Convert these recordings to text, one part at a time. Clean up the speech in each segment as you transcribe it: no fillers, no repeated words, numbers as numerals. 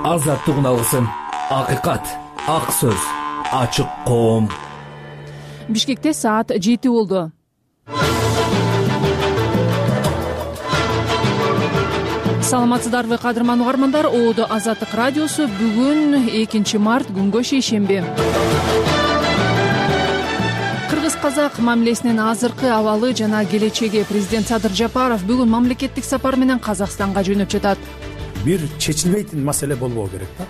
азаттыгын алсын. Акыйкат, ак сөз, ачык коом. Бишкекте саат 7 болду. Саламатсыздарбы кадырман угармандар? Оодо Азаттык радиосу. Бүгүн 2 март күнгө шейшемби. Кыргыз-казак мамилесинин азыркы абалы жана келечеги. Президент Садыр Жапаров бүгүн мамлекеттик сапар менен Казакстанга жөнөп жатат. Бир чечилбейтин маселе болбоо керек да.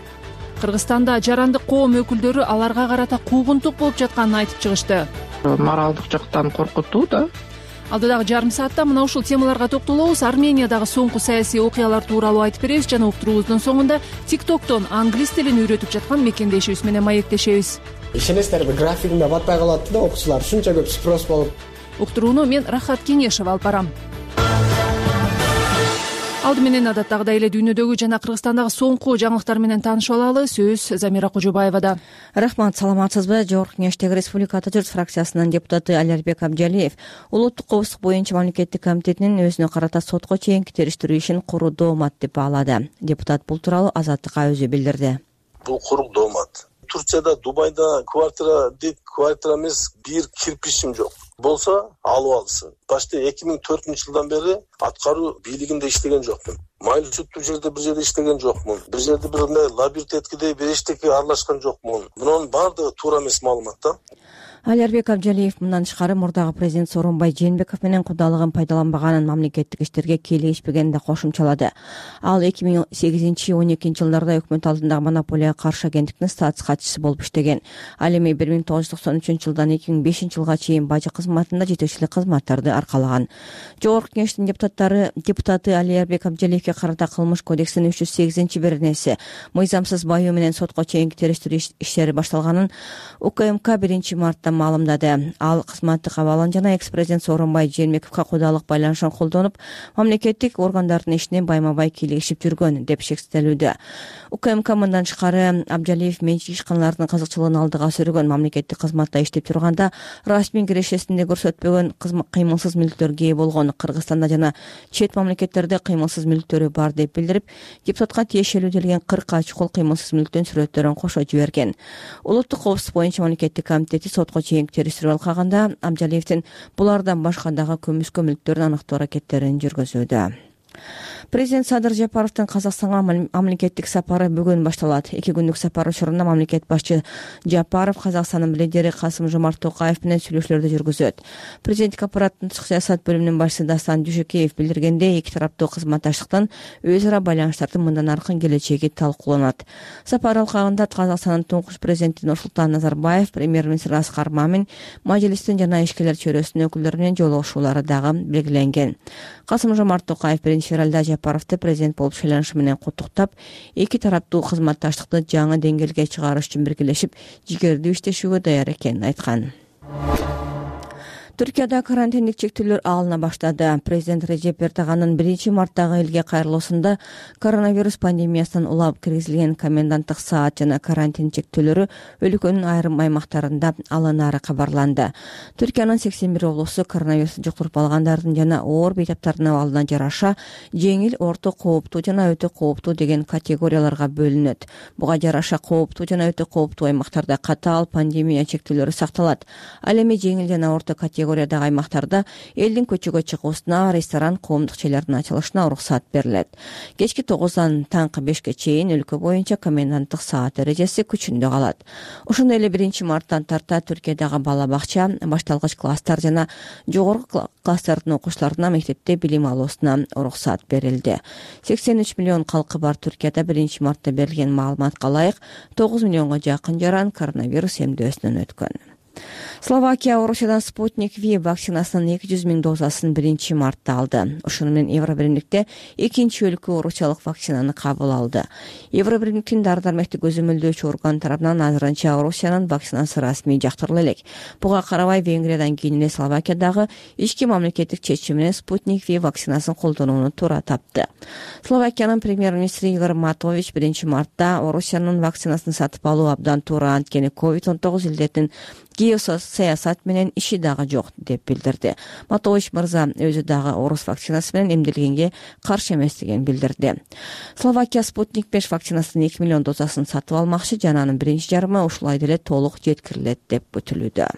Кыргызстанда жарандык коом өкүлдөрү аларга карата куугунтук болуп жатканын айтып чыгышты. Моралдык жактан коркутуу да. Алдыдагы жарым саатта мына ушул темаларга токтолобуз. Армениядагы соңку саясий окуялар тууралуу айтып беребиз жана уктуруубуздун соңунда TikTok'тон англис тилин үйрөтүп жаткан мекендешибиз менен маектешебиз. Ишенесиздерби, графигиме батпай калат да окуучулар, ушунча көп спрос болуп. Уктурууну мен Рахат Кеңешева алып барам. Алды менен адаттагыдай эле дүйнөдөгү жана Кыргызстандагы соңку жаңылыктар менен таанышып алалы. Сөз Замира Кожобаевада. Рахмат, саламатсызбы? Жогорку Кеңештеги Республика Ата журт фракциясынын депутаты Алиарбек Абдиалиев улуттук коопсуздук боюнча мамлекеттик комитетинин өзүнө карата сотко чейинки териштирүү ишин куруу доомат деп баалады. Депутат бул тууралуу Азаттыкка өзү билдирди. Бул куру доомат. Турцияда, Дубайда квартира эмес, бир кирпичим жок. Болсо алып алсын. Башта 2004 жылдан бери аткаруу бийлигинде иштеген жокмун. Майлуу сүттүү жерде бир жерде иштеген жокмун. Бир жерде бир лабиринт эткидей бир эчтеке аралашкан жокмун. Мунун баардыгы туура эмес маалымат да. Алиарбек Абдиалиев мындан тышкары мурдагы президент Сооронбай Жээнбеков менен кудалыгын пайдаланбаганын, мамлекеттик иштерге кийлигишпегенин да кошумчалады. Ал 2008-12 жылдарда өкмөт алдындагы монополияга каршы агенттиктин статус катчысы болуп иштеген. Ал эми 1993 жылдан 2005 жылга чейин бажы кызматында жетекчилик кызматтарды аркалаган. Жогорку Кеңештин депутаты Алиарбек Абдиалиевге карата Кылмыш кодексинин 308-беренеси мыйзамсыз баюу менен сотко чейинки териштирүү иштери башталганын УКМК 1 мартта маалымдады. Ал кызматтык абалын жана экс-президент Сооронбай Жээнбековго кудалык байланышын колдонуп, мамлекеттик органдардын ишине байма-бай кийлигишип жүргөн деп шектелүүдө. УКМК мындан тышкары Абдиалиев менчик ишканалардын кызыкчылыгын алдыга сүргөн, мамлекеттик кызматта иштеп турганда расмий кирешесинде көрсөтпөгөн кыймылсыз мүлктөргө ээ болгон, Кыргызстанда жана чет мамлекеттерде кыймылсыз мүлктөрү бар деп билдирип, депутатка тиешелүү делген 40 чукул кыймылсыз мүлктүн сүрөттөрүн кошо жиберген. Улуттук коопсуздук боюнча мамлекеттик комитети сотко чейинки териштирүү алкаганда Абдиалиевдин булардан башка дагы көмүскө мүлктөрүн аныктоо аракеттерин жүргүзүүдө. Президент Садыр Жапаровдун Казакстанга мамлекеттик сапары бүгүн башталат. 2 күндүк сапар учурунда мамлекет башчы Жапаров Казакстандын лидери Касым-Жомарт Токаев менен сүйлөшүүлөрдү жүргүзөт. Президенттик аппараттын тышкы саясат бөлүмүнүн башчысы Дастан Дүйшөкеев билдиргендей, эки тараптуу кызматташтыктын өз ара байланыштардын мындан аркы келечеги талкууланат. Сапар алкагында Казакстандын туңгуч президенти Нурсултан Назарбаев, премьер-министр Аскар Мамин, мажлистин жана ишкерлер чөйрөсүнүн өкүлдөрү менен жолугушуулары дагы белгиленген. Касым-Жомарт Токаев 1-февралда Жапаровду президент болуп шайланышы менен куттуктап, эки тараптуу кызматташтыкты жаңы деңгээлге чыгарыш үчүн биргелешип, жигердүү иштешүүгө даяр экенин айткан. Түркияда карантиндик чектөөлөр алына баштады. Президент Режеп Эрдоганын 1 марттагы элге кайрылуусунда коронавирус пандемиясынан улап киргизилген коменданттык саат жана карантин чектөөлөрү өлкөнүн айрым аймактарында алынары кабарланды. Түркиянын 81 облусу коронавирус жуктуруп алгандардын жана оор бейтаптардын абалына жараша жеңил, орто кооптуу жана өтө кооптуу деген категорияларга бөлүнөт. Буга жараша кооптуу жана өтө кооптуу аймактарда катаал пандемия чектөөлөрү сакталат. Ал эми жеңил жана орто категориядагы аймактарда элдин көчөгө чыгуусуна, ресторан, коомдук жайлардын ачылышына уруксат берилет. Кечки 9-дан таңкы 5-ке чейин өлкө боюнча коменданттык саат эрежеси күчүндө калат. Ошондой эле 1 марттан тарта Түркиядагы бала бакча, башталгыч класстар жана жогорку класстардын окуучуларына мектепте билим алуусуна уруксат берилди. 83 миллион калкы бар Түркияда 1 мартта берилген маалыматка ылайык 9 миллионго жакын жаран коронавирус эмдөөсүнөн өткөн. Словакия Орусиядан Спутник V вакцинасынын 200 000 дозасын 1 мартта алды. Ошону менен Евробиримдикте экинчи өлкө орусиялык вакцинаны кабыл алды. Евробиримдиктин дары-дармектик өзөмөлдөөчү орган тарабынан азырынча Орусиянын вакцинасы расмий жактырыла элек. Буга карабай Венгриядан кийин эле Словакиядагы ички мамлекеттик чечим менен Спутник V вакцинасын колдонууну туура тапты. Словакиянын премьер-министри Игор Матович 1 мартта Орусиянын вакцинасын сатып алуу абдан туура, анткени COVID-19 илдетин геосаясат менен иши дагы жок деп билдирди. Матович мырза өзү дагы орус вакцинасы менен эмделгенге каршы эместигин билдирди. Словакия Спутник 5 вакцинасынын 2 миллион дозасын сатып алмакчы жана анын биринчи жарымы ушулай деле толук жеткирилет деп күтүлүүдө.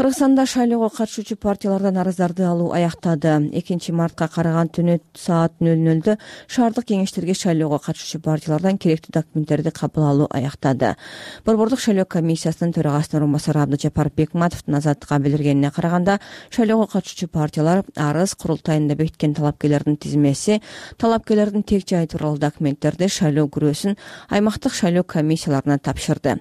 Кыргызстанда шайлоого катышуучу партиялардан арыздарды алуу аяктады. 2-мартка караган түнү саат 00:00 шаардык кеңештерге шайлоого катышуучу партиялардан керектүү документтерди кабыл алуу аяктады. Борбордук шайлоо комиссиясынын төрагасынын орун басары Абдыжапар Бекматовдун Азаттыкка билдиргенине караганда, шайлоого катышуучу партиялар арыз, курултайында бекиткен талапкерлердин тизмеси, талапкерлердин тек жайы тууралуу документтерди шайлоо күрөөсүн аймактык шайлоо комиссияларына тапшырды.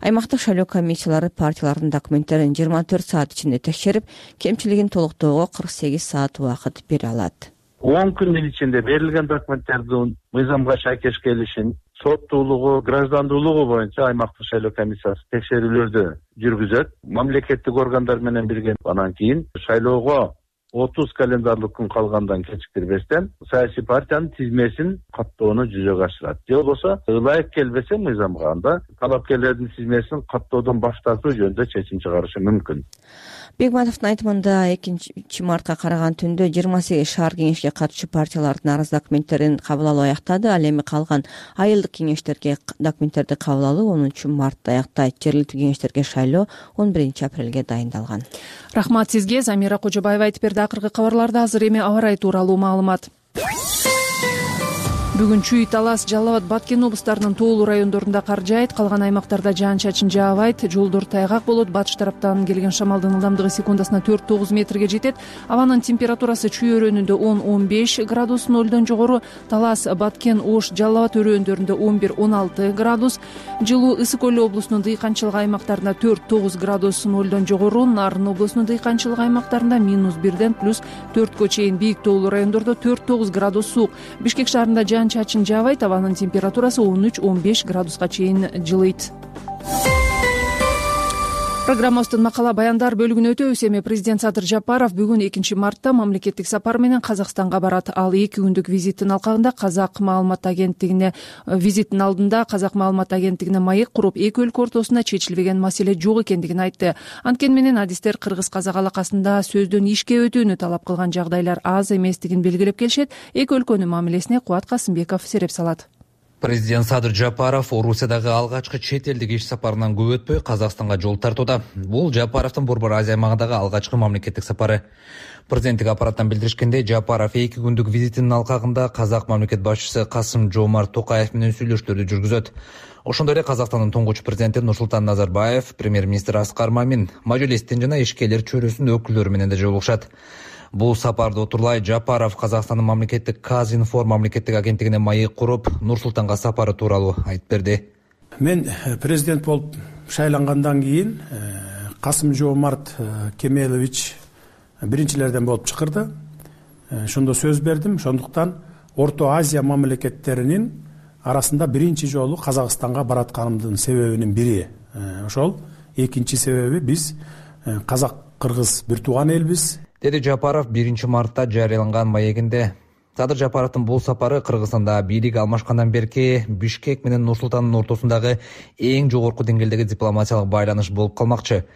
Аймактык шайлоо комиссиялары партиялардын документтерин 24 саат ичинде текшерип, кемчилигин толуктоого 48 саат убакыт бере алат. 10 күндүн ичинде берилген документтердин мыйзамга шайкеш келишин, соттуулугу, граждандуулугу боюнча аймактык шайлоо комиссиясы текшерүүлөрдү жүргүзөт. Мамлекеттик органдар менен бирге анан кийин шайлоого 30 календарлык күн калгандан кечиктирбестен саясий партиянын тизмесин каттоону жүзөгө ашырат. Же болбосо ылайык келбесе мыйзамга, анда талапкерлердин тизмесин каттоодон баш тартуу жөнүндө чечим чыгарышы мүмкүн. Бекматовдун айтымында 2-мартка караган түндө 28 шаар кеңешке катышуучу партиялардын арыз документтерин кабыл алуу аяктады. Ал эми калган айылдык кеңештерге документтерди кабыл алуу 10-мартта аяктайт. Жергиликтүү кеңештерге шайлоо 11-апрелге дайындалган. Рахмат сизге. Замира Кожобаева айтып берди. Акыркы кабарларда азыр эми аба ырайы тууралуу маалымат. Бүгүн Чүй, Талас, Жалал Абад, Баткен облустарынын тоолуу райондорунда кар жаайт, калган аймактарда жаан-чачын жаабайт, жолдор тайгак болот. Батыш тараптан келген шамалдын ылдамдыгы секундасына 4-9 метрге жетет. Абанын температурасы Чүй өрөөнүндө 10-15 градус нөлдөн жогору, Талас, Баткен, Ош, Жалал Абад өрөөндөрүндө 11-16 градус, Жылуу, Ысык Көл облусунун дыйканчылык аймактарында 4-9 градус нөлдөн жогору, Нарын облусунун дыйканчылык аймактарында -1ден +4 чейин, бийик тоолуу райондордо 4-9 градус суук. Бишкек шаарында жаан-чачын жаабайт, абанын температурасы 13-15 градуска чейин жылыйт. Программабыздын макала баяндар бөлүгүнө өтөбүз. Эми президент Садыр Жапаров бүгүн 2-мартта мамлекеттик сапар менен Казакстанга барат. Ал 2 күндүк визиттин алдында Казак маалымат агенттигине маек куруп, эки өлкө ортосунда чечилбеген маселе жок экендигин айтты. Анткени менен адистер кыргыз-казак алакасында сөздөн ишке өтүүнү талап кылган жагдайлар аз эместигин белгилеп келишет. Эки өлкөнүн мамилесине Кубат Касымбеков сереп салат. Президент Садыр Жапаров Орусиядагы алгачкы чет элдик иш сапарынан көп өтпөй Казакстанга жол тартууда. Бул Жапаровдун Борбор Азия аймагындагы алгачкы мамлекеттик сапары. Президенттик аппараттан билдиришкендей, Жапаров 2 күндүк визитинин алкагында казак мамлекет башчысы Касым-Жомарт Токаев менен сүйлөшүүлөрдү жүргүзөт. Ошондой эле Казакстандын туңгуч президенти Нурсултан Назарбаев, премьер-министр Аскар Мамин, мажлистин жана ишкерлер чөйрөсүнүн өкүлдөрү менен да жолугушат. Бул сапарды отурлай Жапаров Казакстандын мамлекеттик Казинформ мамлекеттик агенттигине маек куруп, Нур-Султанга сапары тууралуу айтып берди. Мен президент болуп шайлангандан кийин Касым-Жомарт Кемелович биринчилерден болуп чакырды. Ошондо сөз бердим. Ошондуктан Орто Азия мамлекеттеринин арасында биринчи жолу Казакстанга баратканымдын себебинин бири ошол. Экинчи себеби биз казак-кыргыз бир тууган элбиз, деди Жапаров 1-мартта жарыяланган маегинде. Садыр Жапаровдун бул сапары Кыргызстанда бийлик алмашкандан берки Бишкек менен Нур-Султандын ортосундагы эң жогорку деңгээлдеги дипломатиялык байланыш болуп калмакчы.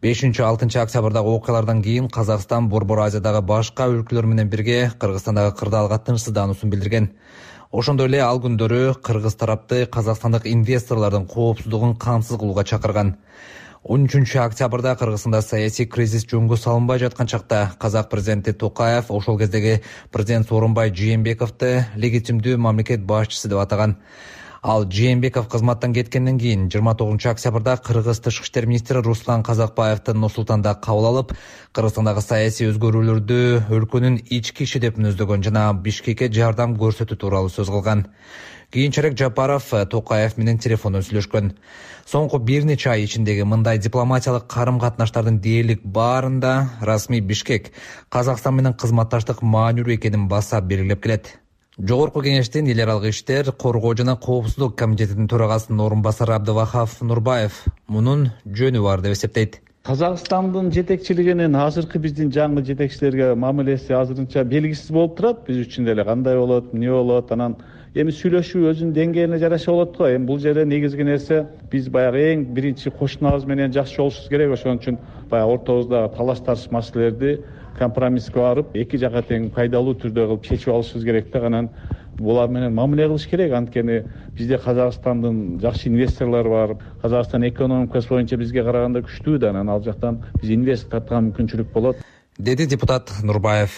5-6 октябрдагы окуялардан кийин Казакстан Борбор Азиядагы башка өлкөлөр менен бирге Кыргызстандагы кырдаалга тынчсыздануусун билдирген. Ошондой эле ал күндөрү кыргыз тарапты казакстандык инвесторлордун коопсуздугун камсыз кылууга чакырган. 13 октябрда Кыргызстанда саясий кризис жөнгө салынбай жаткан чакта казак президенти Токаев ошол кездеги президент Сооронбай Жээнбековду легитимдүү мамлекет башчысы деп атаган. Ал Жээнбеков кызматтан кеткенден кийин 29 октябрда Кыргыз тышкы иштер министри Руслан Казакбаевди Нур-Султанда кабыл алып, Кыргызстандагы саясий өзгөрүүлөрдү өлкөнүн ички иши деп мүнөздөгөн жана Бишкекке жардам көрсөтүү тууралуу сөз кылган. Кийинчерээк Жапаров Токаев менен телефондон сүйлөшкөн. Соңку бир нече ай ичиндеги мындай дипломатиялык карым-катнаштардын дээрлик баарында расмий Бишкек Казакстан менен кызматташтык маанилүү экенин басап белгилеп келет. Жогорку кеңештин эл аралык иштер, коргоо жана коопсуздук комитетинин төрагасынын орун басары Абдывахап Нурбаев мунун жөнү бар деп эсептейт. Казакстандын жетекчилигинин азыркы биздин жаңы жетекчилерге мамилеси азырынча белгисиз болуп турат. Биз үчүн деле кандай болот, эмне болот, анан эми сүйлөшүү өзүнүн деңгээлине жараша болот го. Эми бул жерде негизги нерсе биз баягы эң биринчи кошунабыз менен жакшы жолугушубуз керек. Ошон үчүн баягы ортобуздагы талаш тартыш маселелерди компромисске барып, эки жака тең пайдалуу түрдө кылып чечип алышыбыз керек да. Анан булар менен мамиле кылыш керек. Анткени бизде Казакстандын жакшы инвесторлору бар. Казакстан экономикасы боюнча бизге караганда күчтүү да. Анан ал жактан биз инвестор тарткан мүмкүнчүлүк болот, деди депутат Нурбаев.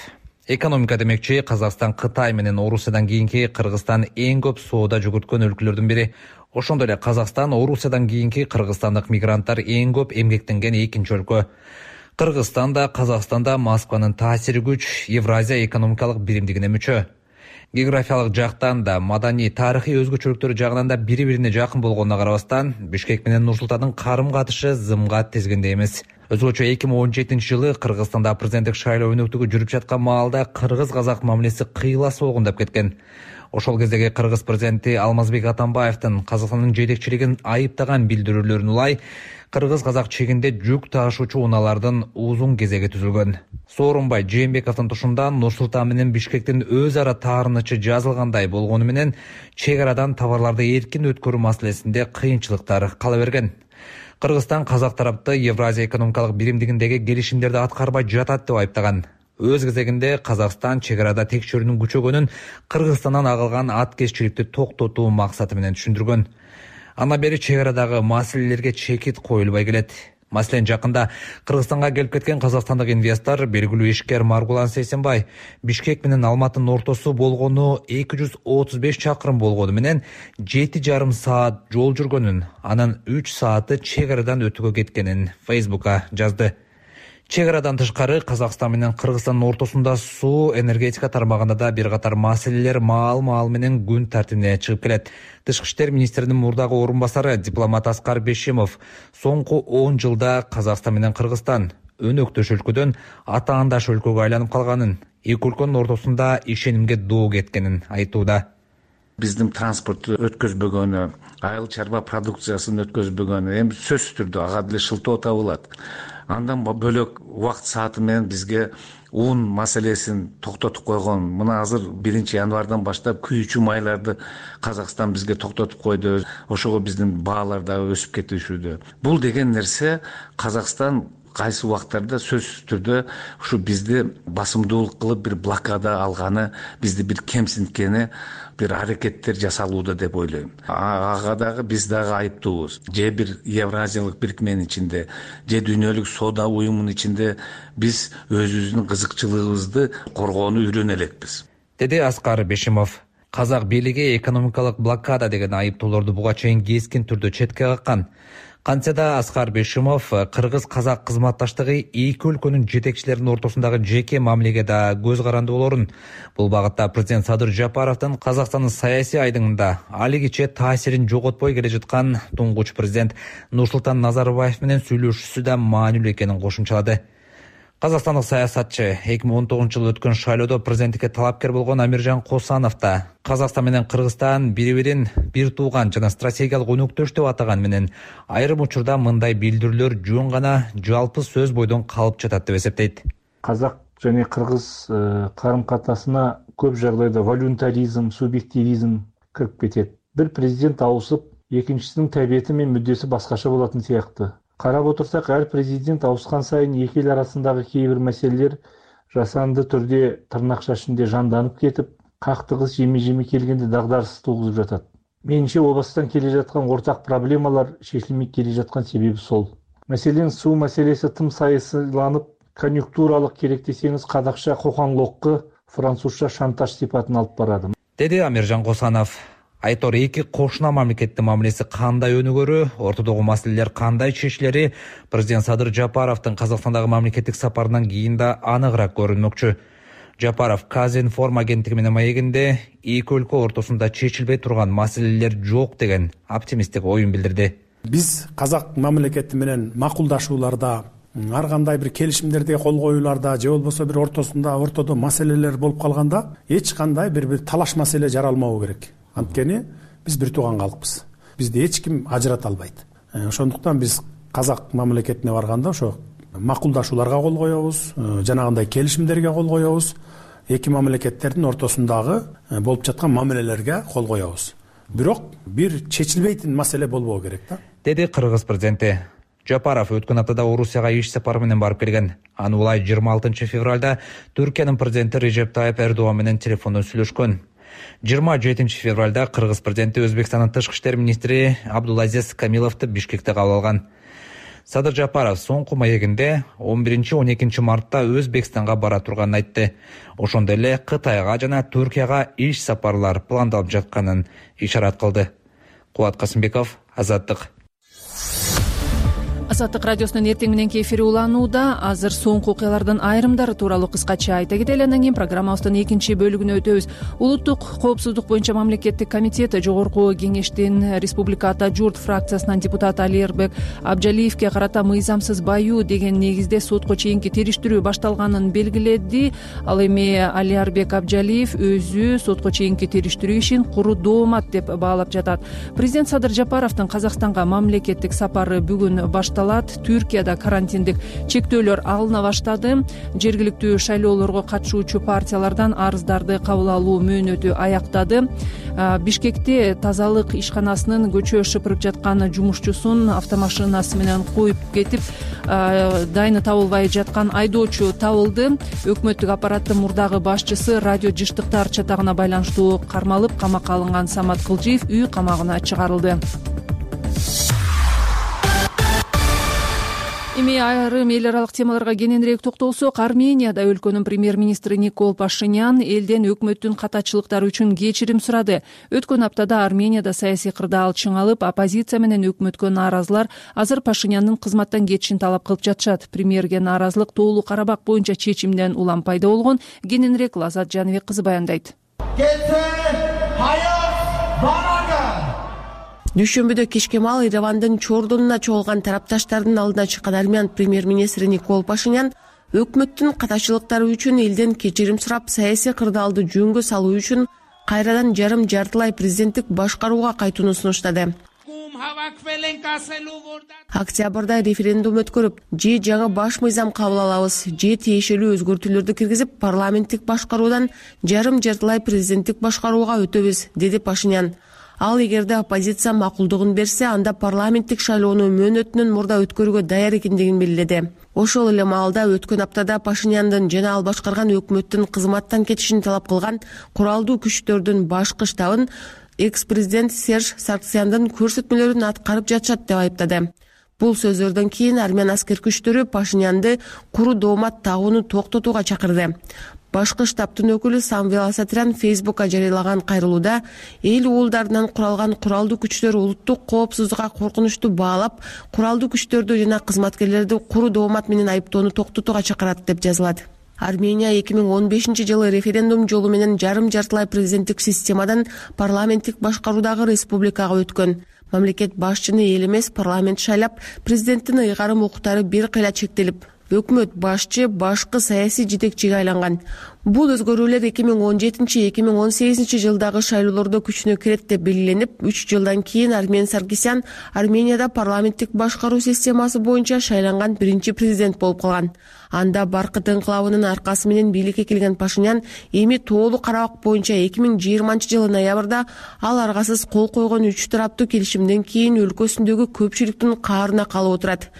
Экономика демекчи, Казакстан Кытай менен Орусиядан кийинки Кыргызстан эң көп соода жүгүрткөн өлкөлөрдүн бири. Ошондой эле Казакстан Орусиядан кийинки кыргызстандык мигранттар эң көп эмгектенген экинчи өлкө. Кыргызстанда, Казакстанда Москванын таасири күч Евразия экономикалык биримдигине мүчө. Географиялык жактан да, маданий, тарыхый өзгөчөлүктөрү жагынан да бири-бирине жакын болгонуна карабастан, Бишкек менен Нур-Султандын карым-катышы зымга тезгенде эмес. Өзгөчө 2017-жылы Кыргызстанда президенттик шайлоо өнөктүгү жүрүп жаткан маалда кыргыз-казак мамилеси кыйла солгундап кеткен. Ошол кездеги кыргыз президенти Алмазбек Атамбаевдин Казакстандын жетекчилигин айыптаган билдирүүлөрүн улай, кыргыз-казак чегинде жүк ташуучу унаалардын узун кезеги түзүлгөн. Сооронбай Жээнбековдун тушундан Нур-Султан менен Бишкектин өз ара таарынычы жазылгандай болгону менен чек арадан товарларды эркин өткөрүү маселесинде кыйынчылыктар кала берген. Кыргызстан казак тарапты Евразия экономикалык биримдигиндеги келишимдерди аткарбай жатат деп айыптаган. Өз кезегинде Казакстан чек арада текшерүүнүн күчөгөнүн Кыргызстандан агылган аткезчиликти токтотуу максаты менен түшүндүргөн. Анда бери чек арадагы маселелерге чекит коюлбай келет. Маселен, жакында Кыргызстанга келип кеткен казакстандык инвестор, белгилүү ишкер Маргулан Сейсенбай, Бишкек менен Алматынын ортосу болгону 235 чакырым болгону менен 7,5 саат жол жүргөнүн, анын 3 сааты чек арадан өтүүгө кеткенин Facebook'a жазды. Чек арадан тышкары Казакстан менен Кыргызстандын ортосунда суу, энергетика тармагында да бир катар маселелер маал менен күн тартибине чыгып келет. Тышкы иштер министринин мурдагы орун басары дипломат Аскар Бешимов соңку 10 жылда Казакстан менен Кыргызстан өнөктөш өлкөдөн атаандаш өлкөгө айланып калганын, эки өлкөнүн ортосунда ишенимге доо кеткенин айтууда. Биздин транспортту өткөзбөгөнү, айыл чарба продукциясын өткөзбөгөнү эми сөзсүз түрдө ага деле шылтоо табылат. Андан бөлөк убакыт сааты менен бизге ун маселесин токтотуп койгон. Мына азыр 1-январдан баштап күйүүчү майларды Казакстан бизге токтотуп койду. Ошого биздин баалар да өсүп кетишүүдө. Бул деген нерсе Казакстан кайсы убактарда сөзсүз түрдө ушу бизди басымдуулук кылып бир блокада алганы, бизди бир кемсинткени, бир аракеттер жасалууда деп ойлойм. Ага дагы биз дагы айыптуубуз. Же бир Евразиялык бирикменин ичинде, же дүйнөлүк соода уюмунун ичинде биз өзүбүздүн кызыкчылыгыбызды коргоону үйрөнө элекпиз, деди Аскар Бешимов. Казак бийлиги экономикалык блокада деген айыптоолорду буга чейин кескин түрдө четке каккан. Кантсе да Аскар Бешимов кыргыз-казак кызматташтыгы эки өлкөнүн жетекчилеринин ортосундагы жеке мамилеге да көз каранды болорун. Бул багытта президент Садыр Жапаровдун Казакстандын саясий айдыңында алигиче таасирин жоготпой келе жаткан туңгуч президент Нурсултан Назарбаев менен сүйлөшүүсү да маанилүү экенин кошумчалады. Казакстандык саясатчы 2019-жылы өткөн шайлоодо президенттикке талапкер болгон Амиржан Косанов да Казакстан менен Кыргызстан бири-бирин бир тууган жана стратегиялык өнөктөш деп атаган менен айрым учурда мындай билдирүүлөр жөн гана жалпы сөз бойдон калып жатат деп эсептейт. Казак жана кыргыз карым-катынасына көп жагдайда волюнтаризм, субъективизм кирип кетет. Бир президент ауысып, экинчисинин табиети менен мүддеси башкача болотун сыяктуу. Карап отурсак, ар президент ауышкан сайын эки эл арасындагы кээ бир маселелер жасанды түрдө тырнакча ичинде жанданып кетип, кактыгыс жеми келгенде дагдарыс тугузуп жатат. Менимче, обастан келе жаткан ортак проблемалар чечилмей келе жаткан себеби сол. Маселен, суу маселеси тым сайысыланып, конъюнктуралык керек десеңиз кадакча кокоңлокко, французча шантаж сипатын алып барады, деди Амиржан Косанов. Айтор, эки кошуна мамлекеттин мамилеси кандай өнүгөрү, ортодогу маселелер кандай чечилери президент Садыр Жапаровдун Казакстандагы мамлекеттик сапарынан кийин да аныгыраак көрүнмөкчү. Жапаров Казинформ агенттиги менен маегинде эки өлкө ортосунда чечилбей турган маселелер жок деген оптимисттик оюн билдирди. Биз казак мамлекети менен макулдашууларда, ар кандай бир келишимдерге кол коюуларда, же болбосо бир ортодо маселелер болуп калганда эч кандай бир талаш маселе жаралмабы керек. Анткени биз бир тууган калкпыз. Бизди эч ким ажырата албайт. Ошондуктан биз казак мамлекетине барганда ошо макулдашууларга кол коебуз, жанагындай келишимдерге кол коебуз. эки мамлекеттердин ортосундагы болуп жаткан мамилелерге кол коебуз. Бирок бир чечилбейтин маселе болбоо керек да, деди Кыргыз президенти. Жапаров өткөн аптада Орусияга иш сапары менен барып келген. Аны улай 26 февралда Түркиянын президенти Режеп Тайып Эрдоган менен телефондон сүйлөшкөн. 27 февралда Кыргыз президенти Өзбекстандын тышкы иштер министри Абдулазиз Камиловду Бишкекте кабыл алган. Садыр Жапаров соңку маегинде 11-12 мартта Өзбекстанга бара турганын айтты. Ошондой эле Кытайга жана Түркияга иш сапарлар пландалып жатканын ишарат кылды. Кубат Касымбеков, Азаттык. Азаттык радиосунун эртең мененки эфири уланууда. Азыр соңку окуялардын айрымдары тууралуу кыскача айта кетели, андан кийин программабыздын экинчи бөлүгүнө өтөбүз. Улуттук коопсуздук боюнча мамлекеттик комитет Жогорку Кеңештин Республика Ата Журт фракциясынын депутаты Алиербек Абджалиевке карата мыйзамсыз баюу деген негизде сотко чейинки териштирүү башталганын белгиледи. Ал эми Алиербек Абджалиев өзү сотко чейинки териштирүү ишин куру доомат деп баалап жатат. Президент Садыр Жапаровдун Казакстанга мамлекеттик сапары бүгүн башталат. Түркияда карантиндик чектөөлөр алына баштады. Жергиликтүү шайлоолорго катышуучу партиялардан арыздарды кабыл алуу мөөнөтү аяктады. Бишкекте тазалык ишканасынын көчө шыпырып жаткан жумушчусун автомашинасы менен коюп кетип, дайыны табылбай жаткан айдоочу табылды. Өкмөттүк аппараттын мурдагы башчысы радио жыштыктар чатагына байланыштуу кармалып камакка алынган Самат Кылжиев үй камагына чыгарылды. Эми айрым эл аралык темаларга кененирээк токтолсок, Арменияда өлкөнүн премьер-министри Никол Пашинян элден өкмөттүн катачылыктары үчүн кечирим сурады. Өткөн аптада Арменияда саясий кырдаал чыңалып, оппозиция менен өкмөткө нааразылар азыр Пашинянын кызматтан кетишин талап кылып жатышат. Премьерге нааразылык Тоолуу Карабак боюнча чечимден улам пайда болгон. Кененирээк Лазат Жаныбек кызы баяндайт. Дүйшөмбүдө кечке маал Еревандын чордонуна чогулган тарапташтардын алдына чыккан армян премьер-министри Никол Пашинян өкмөттүн катачылыктары үчүн элден кечирим сурап, саясий кырдаалды жөнгө салуу үчүн кайрадан жарым-жартылай президенттик башкарууга кайтууну сунуштады. Октябрда референдум өткөрүп, же жаңы баш мыйзам кабыл алабыз, же тиешелүү өзгөртүүлөрдү киргизип, парламенттик башкаруудан жарым-жартылай президенттик башкарууга өтөбүз, деди Пашинян. Ал эгерде оппозиция макулдугун берсе, анда парламенттик шайлоону мөөнөтүнөн мурда өткөрүүгө даяр экендигин белгиледи. Ошол эле маалда өткөн аптада Пашиняндын жана ал башкарган өкмөттүн кызматтан кетишин талап кылган куралдуу күчтөрдүн башкы штабын экс-президент Серж Сарксяндын көрсөтмөлөрүн аткарып жатышат деп айыптады. Бул сөздөрдөн кийин армян аскер күчтөрү Пашинянды куру доомат тагууну токтотууга чакырды. Башкы штабтын өкүлү Самвел Асатрян Фейсбукка жарыялаган кайрылууда эл уулдарынан куралган куралдуу күчтөр улуттук коопсуздукка коркунучтуу баалап, куралдуу күчтөрдү жана кызматкерлерди куру доомат менен айыптоону токтотууга чакырат деп жазылат. Армения 2015-жылы референдум жолу менен жарым-жартылай президенттик системадан парламенттик башкаруудагы республикага өткөн. Мамлекет башчыны эл эмес, парламент шайлап, президенттин ыйгарым укуктары бир кыйла чектелип, өкмөт башчы башкы саясий жетекчиге айланган. Бул өзгөрүүлөр 2017-2018 жылдагы шайлоолордо күчүнө кирет деп белгиленип, 3 жылдан кийин Армен Саркисян Арменияда парламенттик башкаруу системасы боюнча шайланган биринчи президент болуп калган. Анда Баркыт инкылабынын аркасы менен бийликке келген Пашинян эми Тоолуу Карабак боюнча 2020-жылы ноябрда ал аргасыз кол койгон 3 тараптуу келишимден кийин өлкөсүндөгү көпчүлүктүн каарына калып отурат.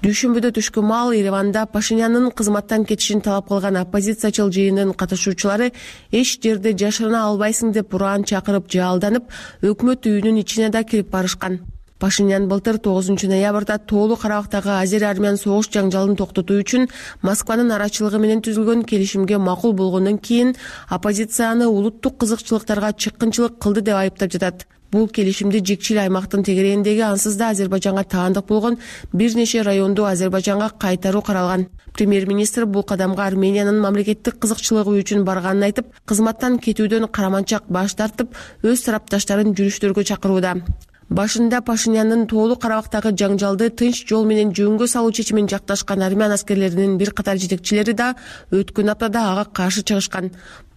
Дүйшөмбүдө түшкү маал Ереванда Пашинянын кызматтан кетишин талап кылган оппозициячыл жыйындын катышуучулары эч жерде жашырына албайсың деп ураан чакырып жаалданып, өкмөт үйүнүн ичине да кирип барышкан. Пашинян былтыр 9 ноябрда Тоолуу Карабактагы азер-армян согуш жаңжалын токтотуу үчүн Москванын арачылыгы менен түзүлгөн келишимге макул болгондон кийин оппозицияны улуттук кызыкчылыктарга чыккынчылык кылды деп айыптап жатат. Бул келишимди Жикчил аймактын тегерегиндеги ансыз да Азербайжанга таандык болгон бир нече районду Азербайжанга кайтаруу каралган. Премьер-министр бул кадамга Армениянын мамлекеттик кызыкчылыгы үчүн барганын айтып, кызматтан кетүүдөн караманчак баш тартып, өз тарапташтарын жүрүштөргө чакырууда. Башында Пашинянын Тоолуу Карабактагы жаңжалды тынч жол менен жөнгө салуу чечимин жакташкан армян аскерлеринин бир катар жетекчилери да өткөн аптада ага каршы чыгышкан.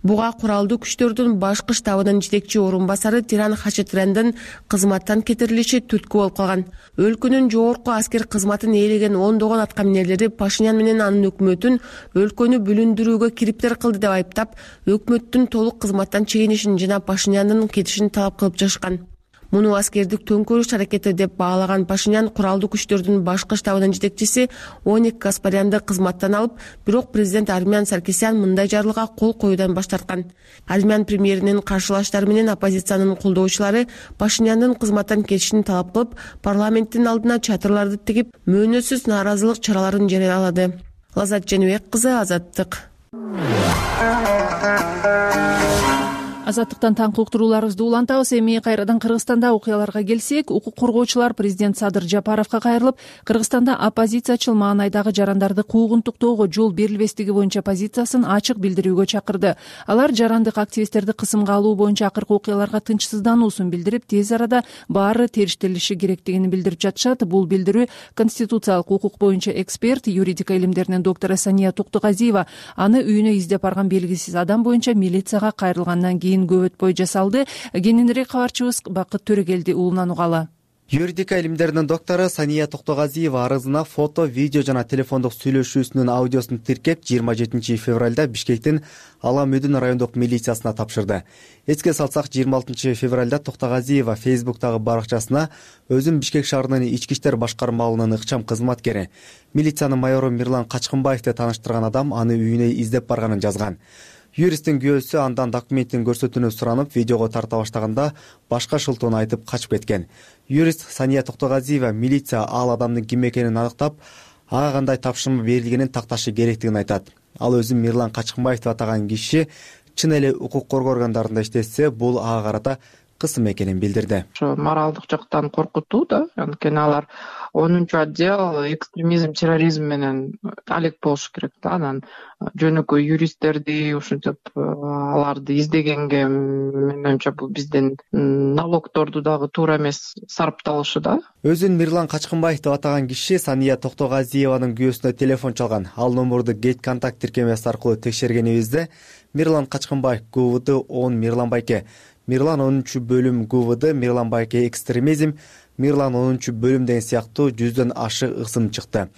Буга куралдуу күчтөрдүн башкы штабынын жетекчи орун басары Тиран Хачатряндын кызматтан кетирилиши түрткү болуп калган. Өлкөнүн жогорку аскер кызматын ээлеген ондогон аткаминерлери Пашинян менен анын өкмөтүн өлкөнү бүлүндүрүүгө кириптер кылды деп айыптап, өкмөттүн толук кызматтан чегинишин жана Пашиняндын кетишин талап кылып жатышкан. Муну аскердик төңкөрүш аракети деп баалаган Пашинян куралдуу күчтөрдүн башкы штабынын жетекчиси Оник Гаспарянды кызматтан алып, бирок президент Армян Саркисян мындай жарлыга кол коюудан баш тарткан. Армян премьеринин каршылаштары менен оппозициянын колдоочулары Пашиняндын кызматтан кетишин талап кылып, парламенттин алдына чатырларды тигип, мөөнөтсүз нааразылык чараларын жарыялады. Лазат Женибек кызы, Азаттык. Азаттыктан таңкы уктурууларыбызды улантабыз. Эми кайрадан Кыргызстанда окуяларга келсек, укук коргоочулар президент Садыр Жапаровго кайрылып, Кыргызстанда оппозициячыл маанайдагы жарандарды куугунтуктоого жол берилбестиги боюнча позициясын ачык билдирүүгө чакырды. Алар жарандык активисттерди кысымга алуу боюнча акыркы окуяларга тынчсыздануусун билдирип, тез арада баары териштирилиши керектигин билдирип жатышат. Бул билдирүү конституциялык укук боюнча эксперт, юридика илимдеринин доктору Сания Токтогазиева аны үйүнө издеп барган белгисиз адам боюнча милицияга кайрылгандан кийин көп өтпөй жасалды. Кененирээк кабарчыбыз Бакыт Төрөгелди уулунан угалы. Юридика илимдеринин доктору Сания Токтогазиева арызына фото, видео жана телефондук сүйлөшүүсүнүн аудиосун тиркеп 27 февралда Бишкектин Ала-Мөдүн райондук милициясына тапшырды. Эске салсак, 26 февралда Токтогазиева Фейсбуктагы баракчасына өзүн Бишкек шаарынын ички иштер башкармалыгынын ыкчам кызматкери, милициянын майору Мирлан Качкынбаевди тааныштырган адам аны үйүнө издеп барганын жазган. Юристтин күйөөсү андан документтин көрсөтүүнү суранып, видеого тарта баштаганда башка шылтоону айтып качып кеткен. Юрист Сания Токтогазиева милиция ал адамдын ким экенин аныктап, ага кандай тапшырма берилгенин такташы керектигин айтат. Ал өзүн Мирлан Качкынбаев деп атаган киши чын эле укук коргоо органдарында иштесе, бул ага карата кысым экенин билдирди. Ошо моралдык жактан коркутуу да, анткени алар 10 отдел экстремизм, терроризм менен алек болуш керек да. Анан жөнөкөй юристтерди ушинтип аларды издегенге менимче бул биздин налогторду дагы туура эмес сарпталышы да. Өзүн Мирлан Качкынбаев деп атаган киши Сания Токтогазиеванын күйөөсүнө телефон чалган. Ал номурду Get контакт тиркемеси аркылуу текшергенибизде Мирлан Качкынбаев ГУВД 10 Мирлан Байке, Мирлан 10 бөлүм ГУВД Мирлан Байке экстремизм, Мирлан 10 бөлүм деген сыяктуу 100дөн ашык ысым чыкты.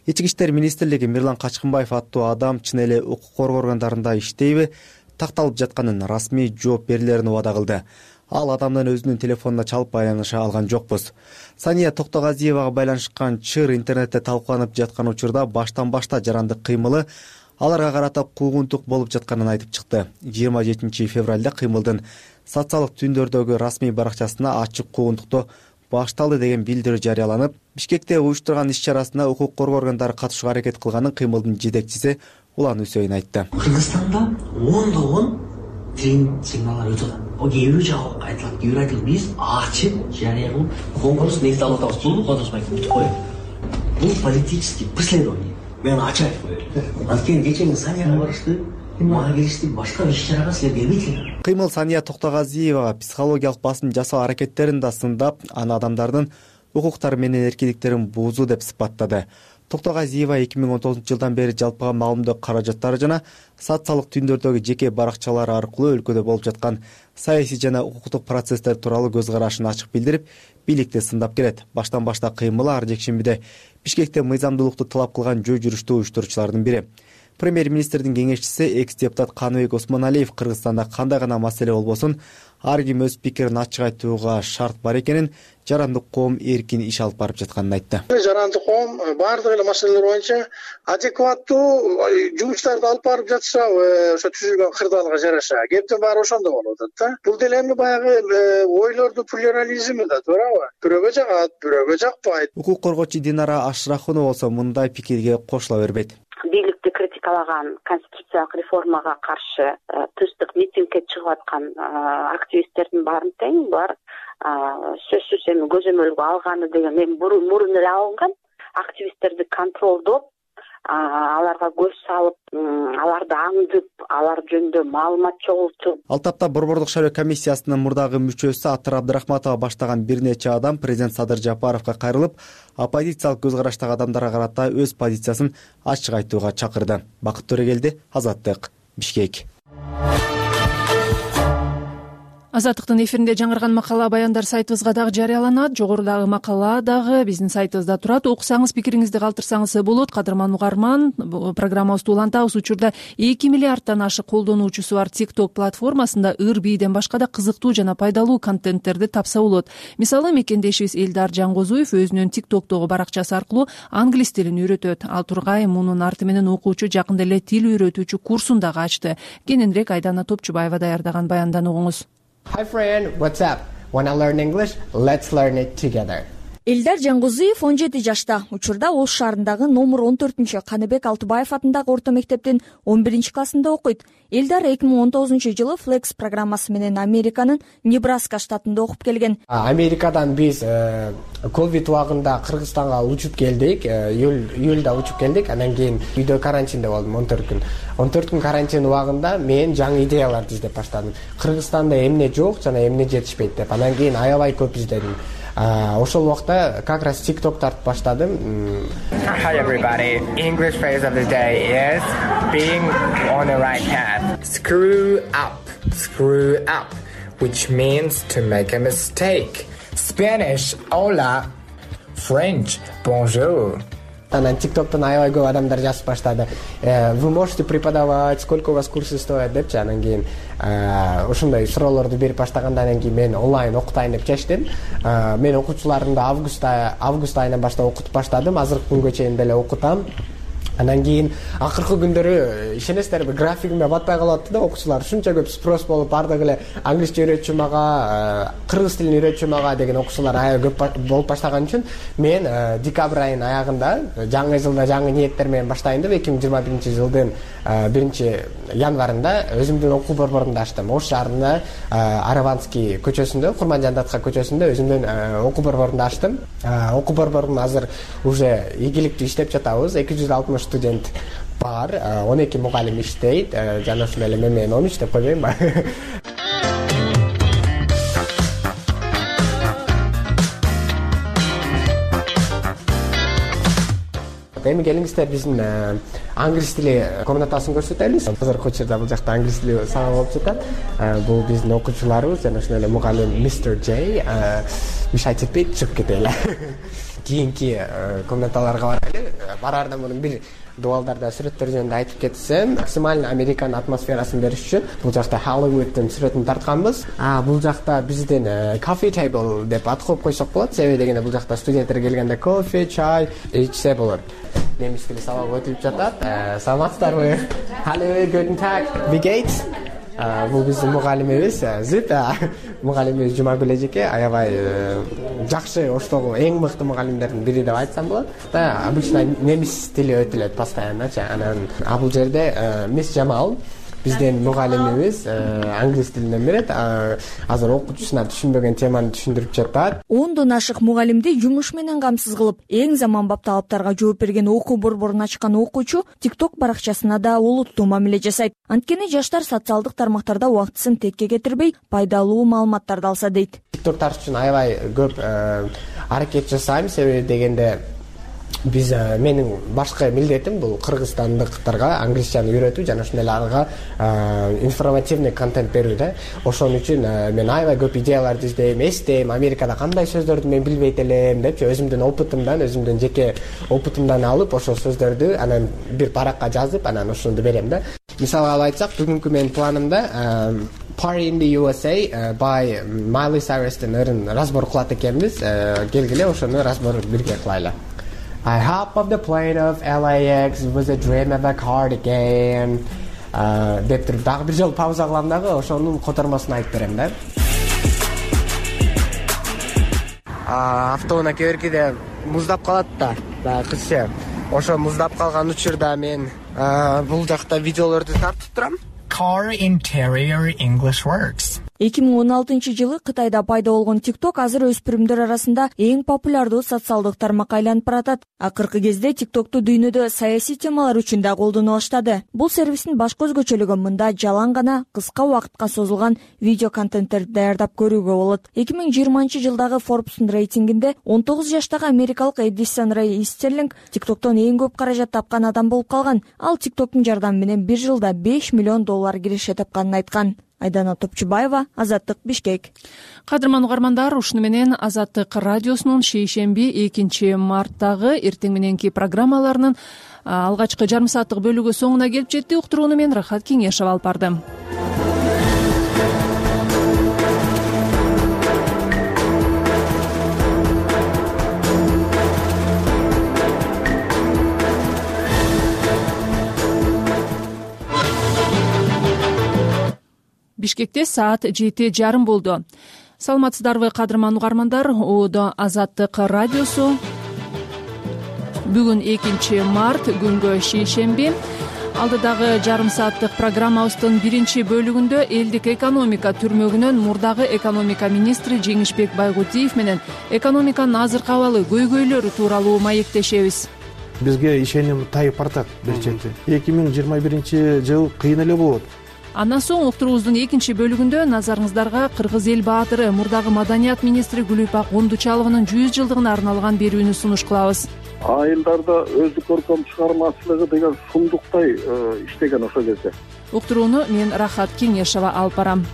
Ички иштер министрлиги Мирлан Качкынбаев аттуу адам чын эле укук коргоо органдарында иштейби, такталып жатканын расмий жооп берилерин убада кылды. Ал адамдын өзүнүн телефонуна чалып байланыша алган жокпуз. Сания Токтогазиевага байланышкан чыр интернетте талкууланып жаткан учурда баштан башта жарандык кыймылы аларга карата куугунтук болуп жатканын айтып чыкты. 27 февралда кыймылдын социалдык түндөрдөгү расмий баракчасына ачык куугунтуктоо башталды деген билдирүү жарыяланып, Бишкекте уюштурган иш-чарасына укук коргоо органдары катышууга аракет кылганын кыймылдын жетекчиси Улан Үсөйүн айтты. Кыргызстанда ондогон тренинг сигналдар өтүп атат. О кээ бирөө жагып айтылат, кээ бирөө айтылат, биз ачык жарыя кылып конкурс негизде алып атабыз. Бул кодоспайт бүтүп коет. Бул политический преследование. Мен ачык айтып коеюн. Анткени кечээ Санияга барышты, мага келишти, башка иш-чарага силер келбейсиңер. Кыймыл Сания Токтогазиевага психологиялык басым жасоо аракеттерин да сындап, аны адамдардын укуктары менен эркиндиктерин буузуу деп сыпаттады. Токтогазиева 2019 жылдан бери жалпыга маалымдоо каражаттары жана социалдык түндөрдөгү жеке баракчалары аркылуу өлкөдө болуп жаткан саясий жана укуктук процесстер тууралуу көз карашын ачык билдирип, бийликти сындап келет. Баштан башта кыймылы ар жекшембиде Бишкекте мыйзамдуулукту талап кылган жөө жүрүштү уюштуруучулардын бири. Премьер-министрдин кеңешчиси экс-депутат Каныбек Осмоналиев Кыргызстанда кандай гана маселе болбосун, ар ким өз пикирин ачык айтууга шарт бар экенин, жарандык коом эркин иш алып барып жатканын айтты. Жарандык коом баардык эле маселелер боюнча адекваттуу жумуштарды алып барып жатса, ошо түзүлгөн кырдаалга жараша, кептин баары ошондо болуп атат да. Бул деле эми баягы ойлордун плюрализми да, туурабы? Бирөөгө жагат, бирөөгө жакпайт. Укук коргоочу Динара Ашрахунова болсо мындай пикирге кошула бербейт. Бийликти критикалаган конституциялык реформага каршы тынчтык митингге чыгып аткан активисттердин баарын тең булар сөзсүз эми көзөмөлгө алганы деген эми мурун эле алынган. Активисттерди контролдоп, аларга көз салып, аларды аңдып, алар жөнүндө маалымат чогултуп. Ал тапта Борбордук шайлоо комиссиясынын мурдагы мүчөсү Атыр Абдрахматова баштаган бир нече адам президент Садыр Жапаровго кайрылып, оппозициялык көз караштагы адамдарга карата өз позициясын ачык айтууга чакырды. Бакыт Төрөгелди, Азаттык, Бишкек. Азаттыктын эфиринде жаңырган макала баяндар сайтыбызга дагы жарыяланат. Жогорудагы макала дагы биздин сайтыбызда турат. Окусаңыз, пикириңизди калтырсаңыз болот. Кадырман угарман, программабызды улантабыз. Учурда 2 миллиардтан ашык колдонуучусу бар TikTok платформасында ыр бийден башка да кызыктуу жана пайдалуу контенттерди тапса болот. Мисалы, мекендешибиз Элдар Жангозуев өзүнүн TikTok'тогу баракчасы аркылуу англис тилин үйрөтөт. Ал тургай мунун арты менен окуучу жакында эле тил үйрөтүүчү курсун дагы ачты. Кененирээк Айдана Топчубаева даярдаган баяндан угуңуз. Hi friend, what's up? Wanna learn English? Let's learn it together. Элдар Жангозуев 17 жашта. Учурда Ош шаарындагы номер 14 Каныбек Алтыбаев атындагы орто мектептин 11 классында окуйт. Элдар 2019 жылы Flex программасы менен Американын Небраска штатында окуп келген. Америкадан биз ковид убагында Кыргызстанга учуп келдик. Июлда учуп келдик. Андан кийин үйдө карантинде болдум 14 күн. 14 күн карантин убагында мен жаңы идеяларды издеп баштадым. Кыргызстанда эмне жок жана эмне жетишпейт деп. Андан кийин аябай көп издедим. Ошол убакта как раз TikTok тартып баштадым. Hi everybody. English phrase of the day is being on the right path. Screw up, which means to make a mistake. Spanish, hola. French, bonjour. Анан TikToктон аябай көп адамдар жазып баштады. Вы можете преподавать, сколько у вас курсы стоят депчи. Анан кийин ошондой суроолорду берип баштагандан кийин мен онлайн окутайын деп чечтим. Мен окуучуларымды август айынан баштап окутуп баштадым. Азыркы күнгө чейин деле окутам. Анан кийин акыркы күндөрү ишенесиздерби, графигиме батпай калып атты да, окуучулар ушунча көп спрос болуп, бардыгы эле англисче үйрөтчү мага, кыргыз тилин үйрөтчү мага деген окуучулар аябай көп болуп баштаган үчүн мен декабрь айынын аягында жаңы жылда жаңы ниеттер менен баштайын деп 2021 жылдын 1 январында өзүмдүн окуу борборумду ачтым. Ош шаарында Араванский көчөсүндө, Курманжандатка көчөсүндө өзүмдүн окуу борборумду ачтым. Окуу борборум азыр уже ийгиликтүү иштеп жатабыз. 260 студент бар, 12 мугалим иштейт. Жана ушул эле мен 13 деп койбоймунбу? Эми келиңиздер биздин англис тили комнатасын көрсөтөлү. Азыркы учурда бул жакта англис тили сабак болуп жатат. Бул биздин окуучуларыбыз жана ошол эле мугалим Mr. J. Мешать этпейт, чыгып кетели. Кийинки комнаталарга барайлы. Бараардан мурун бир дуалдарда сүрөттөр жөнүндө айтып кетсем, максимально Американ атмосферасын бериш үчүн бул жакта Hollywood'дун сүрөтүн тартканбыз. Бул жакта биздин coffee table деп ат коюп койсок болот. Себеби дегенде бул жакта студенттер келгенде кофе, чай ичсе болот. Немис тили сабак өтүлүп жатат. Саламатсыздарбы? Hallo, guten Tag. Wie geht's? Бул биздин мугалимибиз Зит. Мугалимибиз Жумагүл эжеке аябай жакшы, Оштогу эң мыкты мугалимдердин бири деп айтсам болот. Обычно немис тили өтүлөт постоянночу. Анан бул жерде Мисс Жамал биздин мугалимибиз англис тилинен берет. Азыр окуучусуна түшүнбөгөн теманы түшүндүрүп жатат. 10дон ашык мугалимди жумуш менен камсыз кылып, эң заманбап талаптарга жооп берген окуу борборун ачкан окуучу TikTok баракчасына да олуттуу мамиле жасайт. Анткени жаштар социалдык тармактарда убактысын текке кетирбей, пайдалуу маалыматтарды алса дейт. TikTok тартыш үчүн аябай көп аракет жасайм, себеби дегенде биз менин башкы милдетим бул кыргызстандыктарга англисчаны үйрөтүү жана ошондой эле ага информативный контент берүү да. Ошон үчүн мен аябай көп идеяларды издейм, эстейм, Америкада кандай сөздөрдү мен билбейт элем депчи, өзүмдүн опытымдан, өзүмдүн жеке опытымдан алып, ошол сөздөрдү анан бир паракка жазып, анан ошону берем да. Мисалга алып айтсак, бүгүнкү менин планымда Party in the USA by Miley Cyrus'тын ырын разбор кылат экенбиз. Келгиле ошону разбор бирге кылайлы. I hop off the plane of LAX, it was a dream of a cardigan. Деп туруп дагы бир жолу пауза кылам дагы, ошонун котормосун айтып берем да. Автоунаа кээ-биркиде муздап калат да, кызча. Ошо муздап калган учурда мен бул жакта видеолорду тартып турам. Car interior English works. 2016 жылы Кытайда пайда болгон TikTok азыр өспүрүмдөр арасында эң популярдуу социалдык тармакка айланып баратат. Акыркы кезде TikToкту дүйнөдө саясий темалар үчүн да колдоно баштады. Бул сервистин башкы өзгөчөлүгү мында жалаң гана кыска убакытка созулган видео контенттерди даярдап көрүүгө болот. 2020 жылдагы Forbes'ун рейтингинде 19 жаштагы америкалык Эдисон Рэй Истерлинг TikToктон эң көп каражат тапкан адам болуп калган. Ал TikToктун жардамы менен бир жылда $5 миллион киреше тапканын айткан. Айдана Топчубаева, Азаттык, Бишкек. Кадырман угармандар, ушуну менен Азаттык радиосунун шейшемби 2 марттагы эртең мененки программаларынын алгачкы жарым сааттык бөлүгү соңуна келип жетти. Уктурууну мен Рахат Кеңешова алып бардым. Бишкекте саат 7:30 болду. Саламатсыздарбы кадырман угармандар, Оодо Азаттык радиосу. Бүгүн 2 март, күнгө шейшемби. Алдыдагы жарым сааттык программабыздын биринчи бөлүгүндө элдик экономика түрмөгүнөн мурдагы экономика министри Жеңишбек Байгутиев менен экономиканын азыркы абалы, көйгөйлөрү тууралуу маектешебиз. Бизге ишеним тайып бартат бир чети. 2021-жыл кыйын эле болот. Андан соң уктуруубуздун экинчи бөлүгүндө назарыңыздарга Кыргыз эл баатыры, мурдагы маданият министри Гүлүпак Ондучалованын 100 жылдыгына арналган берүүнү сунуш кылабыз. Айылдарда өздүк көркөм чыгармачылыгы деген сумдуктай иштеген ошол кезде. Уктурууну мен Рахат Кеңешова алып барам.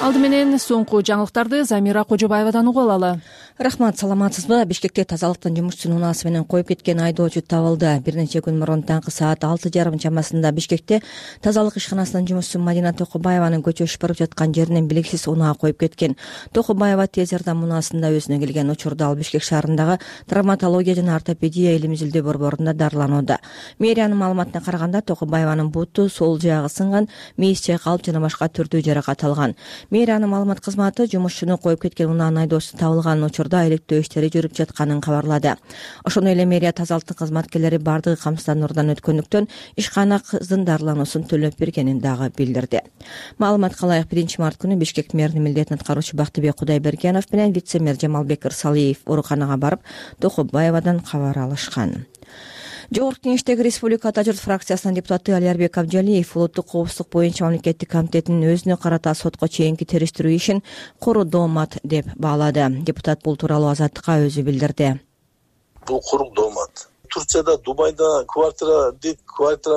Алды менен соңку жаңылыктарды Замира Кожобаевадан угуп алалы. Рахмат, саламатсызбы? Бишкекте тазалыктын жумушчусун унаасы менен коюп кеткен айдоочу табылды. Бир нече күн мурун таңкы саат 6:30 чамасында Бишкекте тазалык ишканасынын жумушчусу Мадина Токубаеванын көчөшүп барып жаткан жеринен белгисиз унаа коюп кеткен. Токубаева тез жардам унаасында өзүнө келген. Учурда ал Бишкек шаарындагы травматология жана ортопедия илим изилдөө борборунда дарыланууда. Мэриянын маалыматына караганда Токубаеванын буту, сол жагы сынган, мээси чайкалып жана башка түрдүү жаракат алган. Мэриянын маалымат кызматы жумушчуну коюп кеткен унаанын айдоочусу табылган учурда иликтөө иштери жүрүп жатканын кабарлады. Ошондой эле мэрия тазалыктын кызматкерлери бардыгы камсыздандыруудан өткөндүктөн ишкана кыздын дарылануусун төлөп бергенин дагы билдирди. Маалыматка ылайык 1 март күнү Бишкек мэринин милдетин аткаруучу Бактыбек Кудайбергенов менен вице-мэр Жамалбек Ырсалиев ооруканага барып Токубаевадан кабар алышкан. Жогорку Кеңештеги Республика Ата журт фракциясынын депутаты Алиарбек Абджалиев улуттук коопсуздук боюнча мамлекеттик комитетинин өзүнө карата сотко чейинки териштирүү ишин куру-доомат деп баалады. Депутат бул тууралуу Азаттыкка өзү билдирди. Бул куру-доомат. Турцияда, Дубайда квартира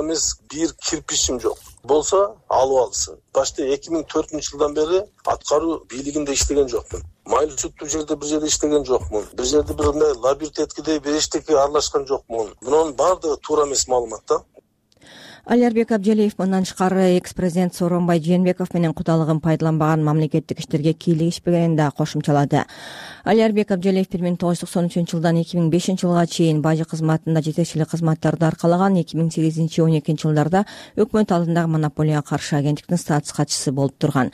эмес, бир кирпичим жок. Болсо алып алсын. Башта 2004 жылдан бери аткаруу бийлигинде иштеген жокмун. Майлы сүттүү жерде бир жерде иштеген жокмун. Бир жерде бир лабиринт эткидей бир эчтеке аралашкан жокмун. Мунун баардыгы туура эмес маалымат да. Алиарбек Абджалиев мындан тышкары экс-президент Сооронбай Жээнбеков менен кудалыгын пайдаланбаган мамлекеттик иштерге кийлигишпегенин да кошумчалады. Алиарбек Абджалиев 1993-жылдан 2005-жылга чейин бажы кызматында жетекчилик кызматтарды аркалаган. 2008-12 жылдарда өкмөт алдындагы монополияга каршы агенттиктин статус катчысы болуп турган.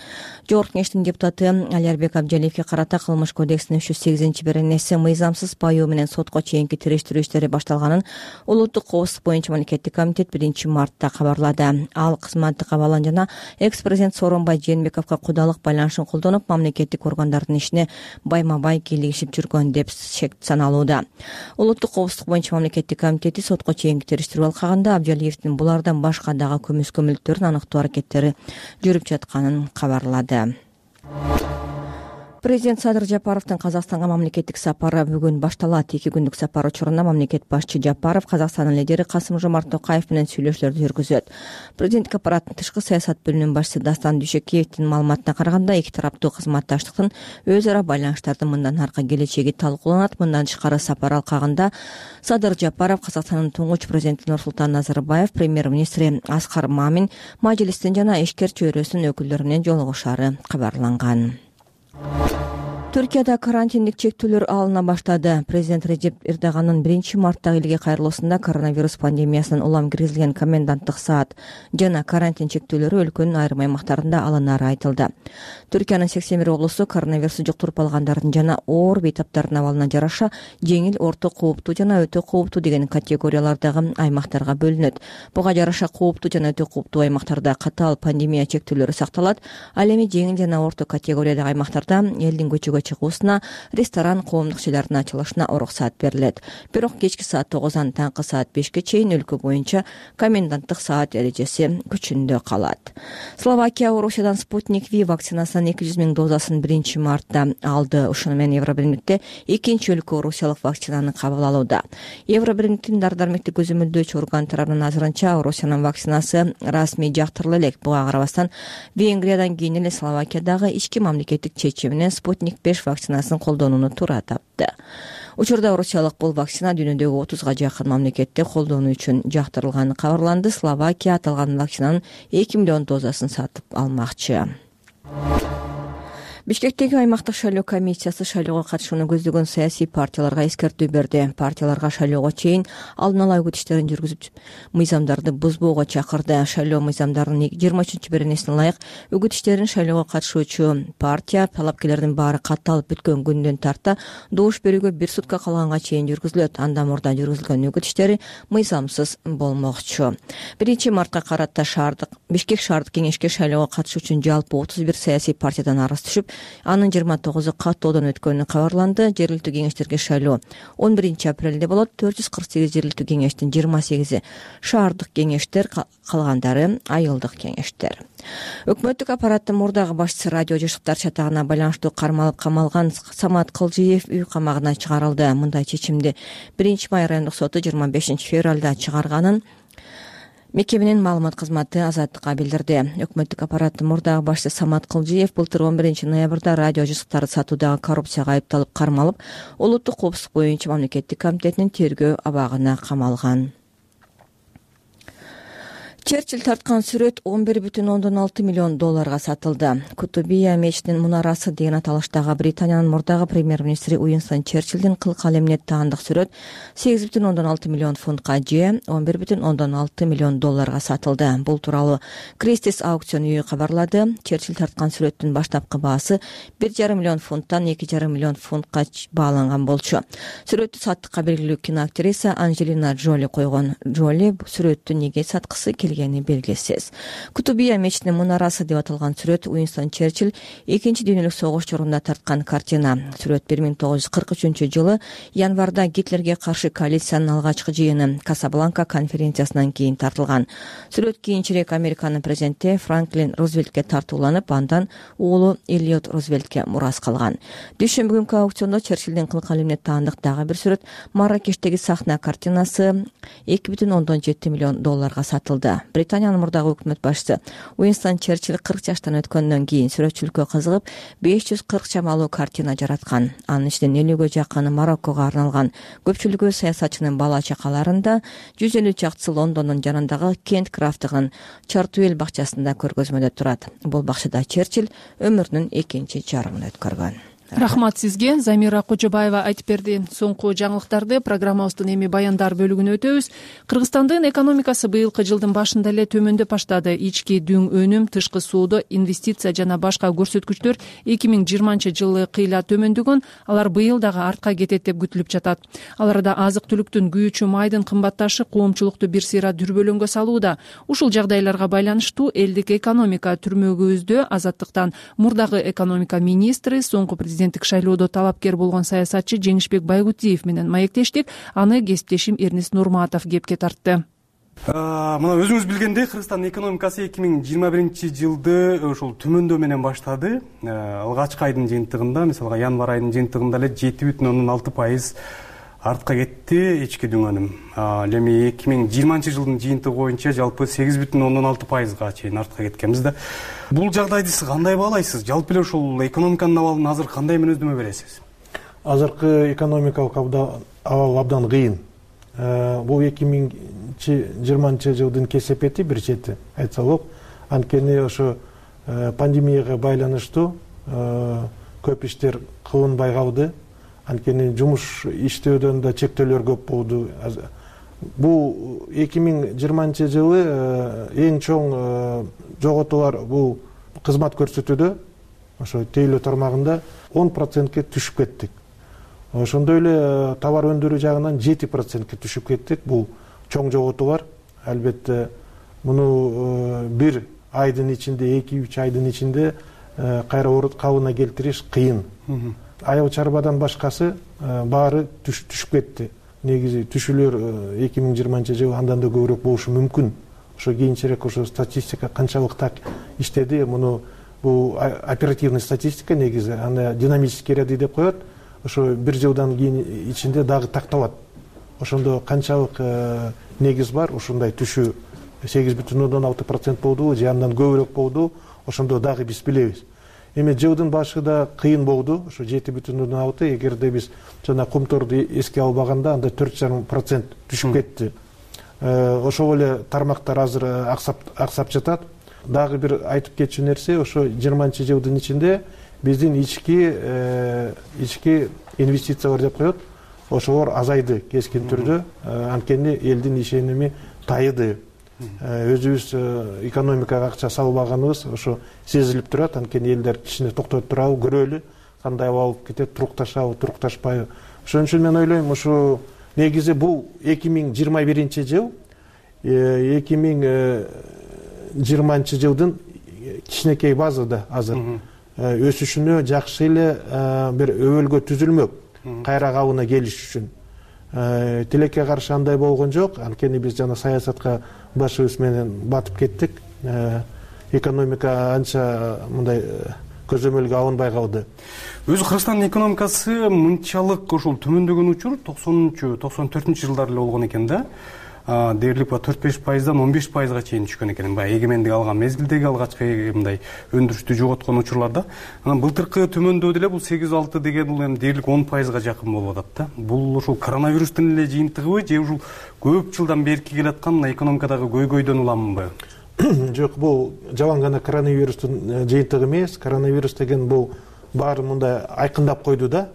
Жогорку Кеңештин депутаты Алиарбек Абджалиевке карата Кылмыш кодексинин 308-беренеси мыйзамсыз паюу менен сотко чейинки териштирүү иштери башталганын улуттук коопсуздук боюнча мамлекеттик комитет 1 мартта кабарлады. Ал кызматтык абалын жана экс-президент Сооронбай Жээнбековго кудалык байланышын колдонуп, мамлекеттик органдардын ишине байма-бай кийлигишип жүргөн деп саналууда. Улуттук коопсуздук боюнча мамлекеттик комитети сотко чейинки териштирүү алкагында Абджалиевдин булардан башка дагы көмүскөмөлүктөрүн аныктоо аракеттери жүрүп жатканын кабарлады. Президент Садыр Жапаровдун Казакстанга мамлекеттик сапары бүгүн башталат. 2 күндүк сапар учурунда мамлекет башчы Жапаров Казакстандын лидери Касым-Жомарт Токаев менен сүйлөшүүлөрдү жүргүзөт. Президенттик аппараттын тышкы саясат бөлүмүнүн башчысы Дастан Дүйшөкеевдин маалыматына караганда, эки тараптуу кызматташтыктын өз ара байланыштардын мындан аркы келечеги талкууланат. Мындан тышкары сапар алкагында Садыр Жапаров Казакстандын туңгуч президенти Нурсултан Назарбаев, премьер-министри Аскар Мамин, мажлистин жана ишкер чөйрөсүнүн өкүлдөрү менен жолугушаары кабарланган. Түркияда карантиндик чектөөлөр алына баштады. Президент Режеп Эрдоганын 1 марттагы элге кайрылуусунда коронавирус пандемиясынан улам киргизилген коменданттык саат жана карантин чектөөлөрү өлкөнүн айрым аймактарында алынары айтылды. Түркиянын 81 облусу коронавирусту жуктуруп алгандардын жана оор бейтаптардын абалына жараша жеңил, орто кооптуу жана өтө кооптуу деген категориялардагы аймактарга бөлүнөт. Буга жараша кооптуу жана өтө кооптуу аймактарда катаал пандемия чектөөлөрү сакталат. Ал эми жеңил жана орто категориядагы аймактарда элдин көчөгө көчкүгө чыгуусуна, ресторан, коомдук жайлардын ачылышына уруксат берилет. Бирок кечки саат 9-дан таңкы саат 5ке чейин өлкө боюнча коменданттык саат эрежеси күчүндө калат. Словакия Орусиядан Спутник V вакцинасынын 200 000 дозасын 1-мартта алды. Ушуну менен Евробиримдикте экинчи өлкө орусиялык вакцинаны кабыл алууда. Евробиримдиктин дары-дармектик көзөмөлдөөчү орган тарабынан азырынча Орусиянын вакцинасы расмий жактырыла элек. Буга карабастан Венгриядан кийин эле Словакиядагы ички мамлекеттик чечим менен Спутник 5 вакцинасын колдонууну туура тапты. Учурда орусиялык бул вакцина дүйнөдөгү 30га жакын мамлекетте колдонуу үчүн жактырылганы кабарланды. Словакия аталган вакцинанын 2 миллион дозасын сатып алмакчы. Бишкектеги аймактык шайлоо комиссиясы шайлоого катышууну көздөгөн саясий партияларга эскертүү берди. Партияларга шайлоого чейин алдын ала үгүт иштерин жүргүзүп, мыйзамдарды бузбоого чакырды. Шайлоо мыйзамдарынын 23-беренесине ылайык үгүт иштерин шайлоого катышуучу партия талапкерлердин баары катталып бүткөн күндөн тарта добуш берүүгө 1 сутка калганга чейин жүргүзүлөт. Андан мурда жүргүзүлгөн үгүт иштери мыйзамсыз болмокчу. 1-мартка карата Бишкек шаардык кеңешке шайлоого катышуу үчүн жалпы 31 саясий партиядан арыз түшүп, анын 29-у каттоодон өткөнү кабарланды. Жергиликтүү кеңештерге шайлоо 11-апрелде болот. 448 жергиликтүү кеңештин 28-и шаардык кеңештер, калгандары айылдык кеңештер. Өкмөттүк аппараттын мурдагы башчысы радио жашыктар чатагына байланыштуу кармалып камалган Самат Кылжиев үй камагына чыгарылды. Мындай чечимди 1-май райондук соту 25-февралда чыгарганын мекеменин маалымат кызматы Азаттыкка билдирди. Өкмөттүк аппараттын мурдагы башчысы Самат Кылжиев былтыр 11-ноябрда радио жашыктарды сатуудагы коррупцияга айыпталып кармалып, улуттук коопсуздук боюнча мамлекеттик комитетинин тергөө абагына камалган. Черчилль тарткан сүрөт 11,6 миллион долларга сатылды. Кутубия мечитинин мунарасы деген аталыштагы Британиянын мурдагы премьер-министри Уинстон Черчиллдин кыл калемине таандык сүрөт 8,6 миллион фунтка же 11,6 миллион долларга сатылды. Бул тууралуу Кристис аукцион үйү кабарлады. Черчилль тарткан сүрөттүн баштапкы баасы 1,5 миллион фунттан 2,5 миллион фунтка бааланган болчу. Сүрөттү саттыкка белгилүү киноактриса Анджелина Джоли койгон. Джоли сүрөттү неге саткысы келгени белгисиз. Кутубия мечитинин мунарасы деп аталган сүрөт Уинстон Черчилль 2-чи дүйнөлүк согуш жорунда тарткан картина. Сүрөт 1943-жылы январда Гитлерге каршы коалициянын алгачкы жыйыны Касабланка конференциясынан кийин тартылган. Сүрөт кийинчерээк Американын президенти Франклин Рузвельтке тартууланып, андан уулу Эллиот Рузвельтке мурас калган. Дүйшөмбү күнкү аукциондо Черчиллдин кыл калемине таандык дагы бир сүрөт Марракештеги сахна картинасы 2,7 миллион долларга сатылды. Британиянын мурдагы өкмөт башчысы Уинстон Черчилль 40 жаштан өткөндөн кийин сүрөтчүлүккө кызыгып 540 чамалуу картина жараткан. Анын ичинен 50ге жакыны Мароккого арналган. Көпчүлүгү саясатчынын бала чакаларында, 150 чактысы Лондондун жанындагы Кент Крафтыгын Чартуэлл бакчасында көргөзмөдө турат. Бул бакчада Черчилль өмүрүнүн экинчи жарымын өткөргөн. Рахмат сизге. Замира Кожобаева айтып берди. Соңку жаңылыктарды программабыздын эми баяндар бөлүгүнө өтөбүз. Кыргызстандын экономикасы быйылкы жылдын башында эле төмөндөп баштады. Ички дүң өнүм, тышкы соода, инвестиция жана башка көрсөткүчтөр 2020-жылы кыйла төмөндөгөн, алар быйыл дагы артка кетет деп күтүлүп жатат. Ал арада азык-түлүктүн күйүүчү майдын кымбатташы коомчулукту бир сыйра дүрбөлөңгө салууда. Ушул жагдайларга байланыштуу элдик экономика түрмөгүбүздө Азаттыктан мурдагы экономика министри, соңку президенттик шайлоодо талапкер болгон саясатчы Жеңишбек Байгутиев менен маектештик. Аны кесиптешим Эрнис Нурматов кепке тартты. Мына өзүңүз билгендей, Кыргызстандын экономикасы 2021-жылды ошол төмөндөө менен баштады. Алгачкы айдын жыйынтыгында, мисалга январь айынын жыйынтыгында эле 7,6% артка кетти ички дүң өнүм. Эми 2020-жылдын жыйынтыгы боюнча жалпы 8,6%га чейин артка кеткенбиз да. Бул жагдайды сиз кандай баалайсыз? Жалпы эле ушул экономиканын абалын азыр кандай мүнөздөмө бересиз? Азыркы экономикалык абал абдан кыйын. Бул 2020-жылдын кесепети бир чети айтса болот. Анткени ошо пандемияга байланыштуу көп иштер кылынбай калды. Анткени жумуш иштөөдөн да чектөөлөр көп болду. Бул 2020-жылы эң чоң жоготуулар бул кызмат көрсөтүүдө, ошо тейлөө тармагында 10%ке түшүп кеттик. Ошондой эле товар өндүрүү жагынан 7%ке түшүп кеттик. Бул чоң жоготуулар. Албетте муну бир айдын ичинде, 2-3 айдын ичинде кайра калыбына келтириш кыйын. айыл чарбадан башкасы баары түшүп кетти. Негизи түшүүлөр 2020 андан да көбүрөөк болушу мүмкүн. Ошо кийинчерээк ошо статистика канчалык так иштеди, муну бул оперативный статистика негизи, аны динамический ряды деп коет. Ошо бир жылдан кийин ичинде дагы такталат. Ошондо канчалык негиз бар, ушундай түшүү 8,6% болду же андан көбүрөөк болду, ошондо дагы биз билебиз. Эми жылдын башында кыйын болду, ошо 7,6, эгерде биз жана кумторду эске албаганда анда 4,5% түшүп кетти. Ошол эле тармактар азыр аксап жатат. Дагы бир айтып кетчү нерсе, ошо 20-жылдын ичинде биздин ички инвестициялар деп коет, ошолор азайды кескин түрдө. Анткени элдин ишеними тайыды. Өзүбүз экономикага акча салбаганыбыз ошо сезилип турат. Анткени элдер кичине токтоп турабы, көрөлү, кандай алып кетет, турукташабы, турукташпайбы. Ошон үчүн мен ойлойм, ошо негизи бул 2021 жыл 2020 жылдын кичинекей базада азыр өсүшүнө жакшы эле бир өбөлгө түзүлмөк кайра кабына келиш үчүн. Тилекке каршы андай болгон жок. Анткени биз жана саясатка башыбыз менен батып кеттик. Экономика анча мындай көзөмөлгө алынбай калды. Өзү Кыргызстандын экономикасы мынчалык ошол төмөндөгөн учур 90-94 жылдар эле болгон экен да. Дээрлик 4-5%дан 15%га чейин түшкөн экен. Баягы эгемендик алган мезгилдеги алгачкы мындай өндүрүштү жоготкон учурларда. Анан былтыркы төмөндөө деле бул 8-6 деген бул эми дээрлик 10%га жакын болуп атат да. Бул ушул коронавирустун эле жыйынтыгыбы же ушул көп жылдан берки келаткан экономикадагы көйгөйдөн уламбы? Жок, бул жалаң гана коронавирустун жыйынтыгы эмес. Коронавирус деген бул баары мындай айкындап койду да.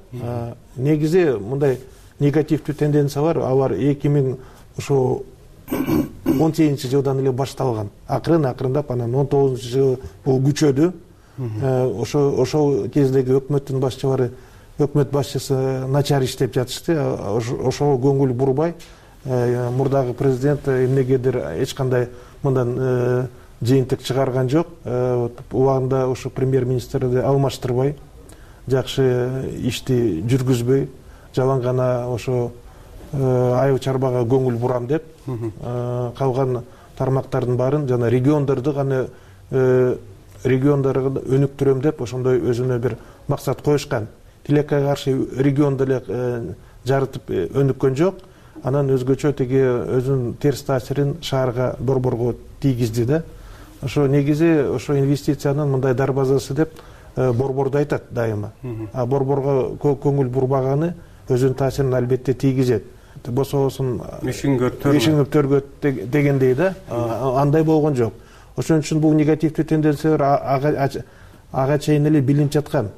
Негизи мындай негативдүү тенденция бар. Алар 2018 жылдан эле башталган. Акырындап анан 19 жыл бул күчөдү. Ошол кездеги өкмөттүн башчылары, өкмөт башчысы начар иштеп жатышты. Ошого көңүл бурбай, мурдагы президент эмнегедир эч кандай мындан жыйынтык чыгарган жок. Убагында ошо премьер-министрди алмаштырбай, жакшы ишти жүргүзбөй, жалаң гана ошо айыл чарбага көңүл бурам деп, калган тармактардын баарын жана региондорду гана региондорго өнүктүрөм деп ошондой өзүнө бир максат коюшкан. Тилекке каршы регионду эле жарытып өнүккөн жок. Анан өзгөчө теги өзүнүн терс таасирин шаарга, борборго тийгизди да. Ошо негизи ошо инвестициянын мындай дарбазасы деп борборду айтат дайыма. А борборго көңүл бурбаганы өзүнүн таасирин албетте тийгизет. Бособосун ишиңип төргөт дегендей да. Андай болгон жок. Ошон үчүн бул негативдүү тенденциялар ага чейин эле билинип жаткан.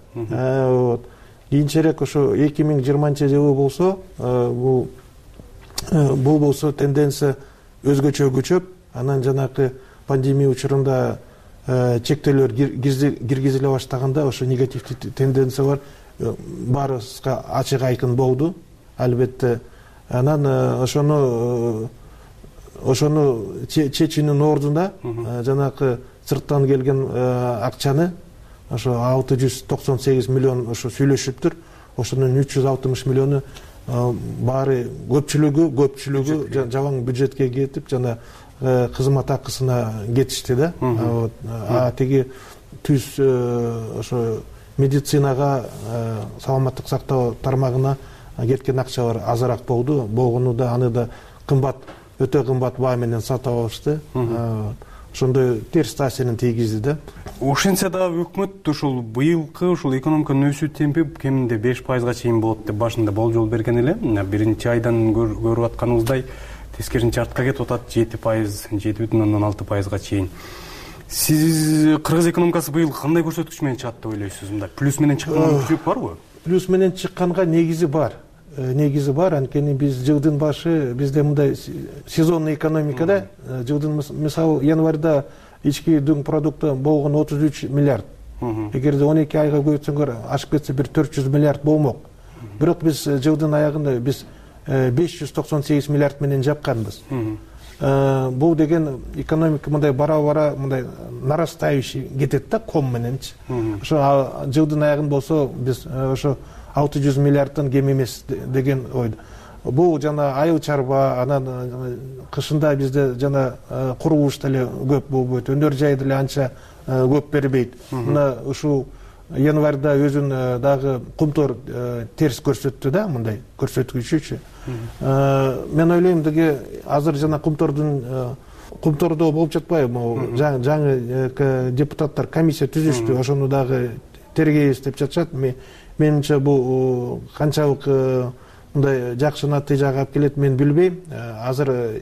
Кийинчерээк ошо 2020 жылы болсо, бул болсо тенденция өзгөчө күчөп, анан жанакы пандемия учурунда чектөөлөр киргизиле баштаганда ошо негативдүү тенденциялар баарыбызга ачык айкын болду. Албетте анан ошону чечүүнүн ордуна жанакы сырттан келген акчаны ошо 698 миллион ошо сүйлөшүптүр. Ошонун 360 миллиону баары көпчүлүгү жалаң бюджетке кетип, жана кызмат акысына кетишти да. Теги түз ошо медицинага, саламаттык сактоо тармагына кеткен акчалар азыраак болду. Болгону да аны да кымбат, өтө кымбат баа менен сатып алышты. Ошондой терс таасирин тийгизди да. Ошентсе дагы өкмөт ушул быйылкы ушул экономиканын өсүү темпи кеминде 5%га чейин болот деп башында болжол берген эле. Биринчи айдан көрүп атканыбыздай тескерисинче артка кетип атат, 7,6%га чейин. Сиз кыргыз экономикасы быйыл кандай көрсөткүч менен чыгат деп ойлойсуз? Мындай плюс менен чыккан мүмкүнчүлүк барбы? Плюс менен чыкканга негизи бар. Анткени биз жылдын башы бизде мындай сезонный экономикада жылдын мисалы январда ички дүң продукты болгон 33 миллиард. Эгерде 12 айга көбөйтсөңөр ашып кетсе бир 400 миллиард болмок. Бирок биз жылдын аягында биз 598 миллиард менен жапканбыз. Бул деген экономика мындай бара-бара мындай нарастающий кетет да ком мененчи. Ошо жылдын аягында болсо биз ошо 600 миллиарддан кем эмес деген ойдо. Бул жана айыл чарба, анан кышында бизде жана курулуш деле көп болбойт, өнөр жай деле анча көп бербейт. Мына ушул январда өзүн дагы кумтор терс көрсөттү да, мындай көрсөткүчүчү. Мен ойлойм деге азыр жана кумтордо болуп жатпайбы, жаңы депутаттар комиссия түзүштү, ошону дагы тергейбиз деп жатышат. Менимче бул канчалык мындай жакшы натыйжага алып келет мен билбейм. Азыр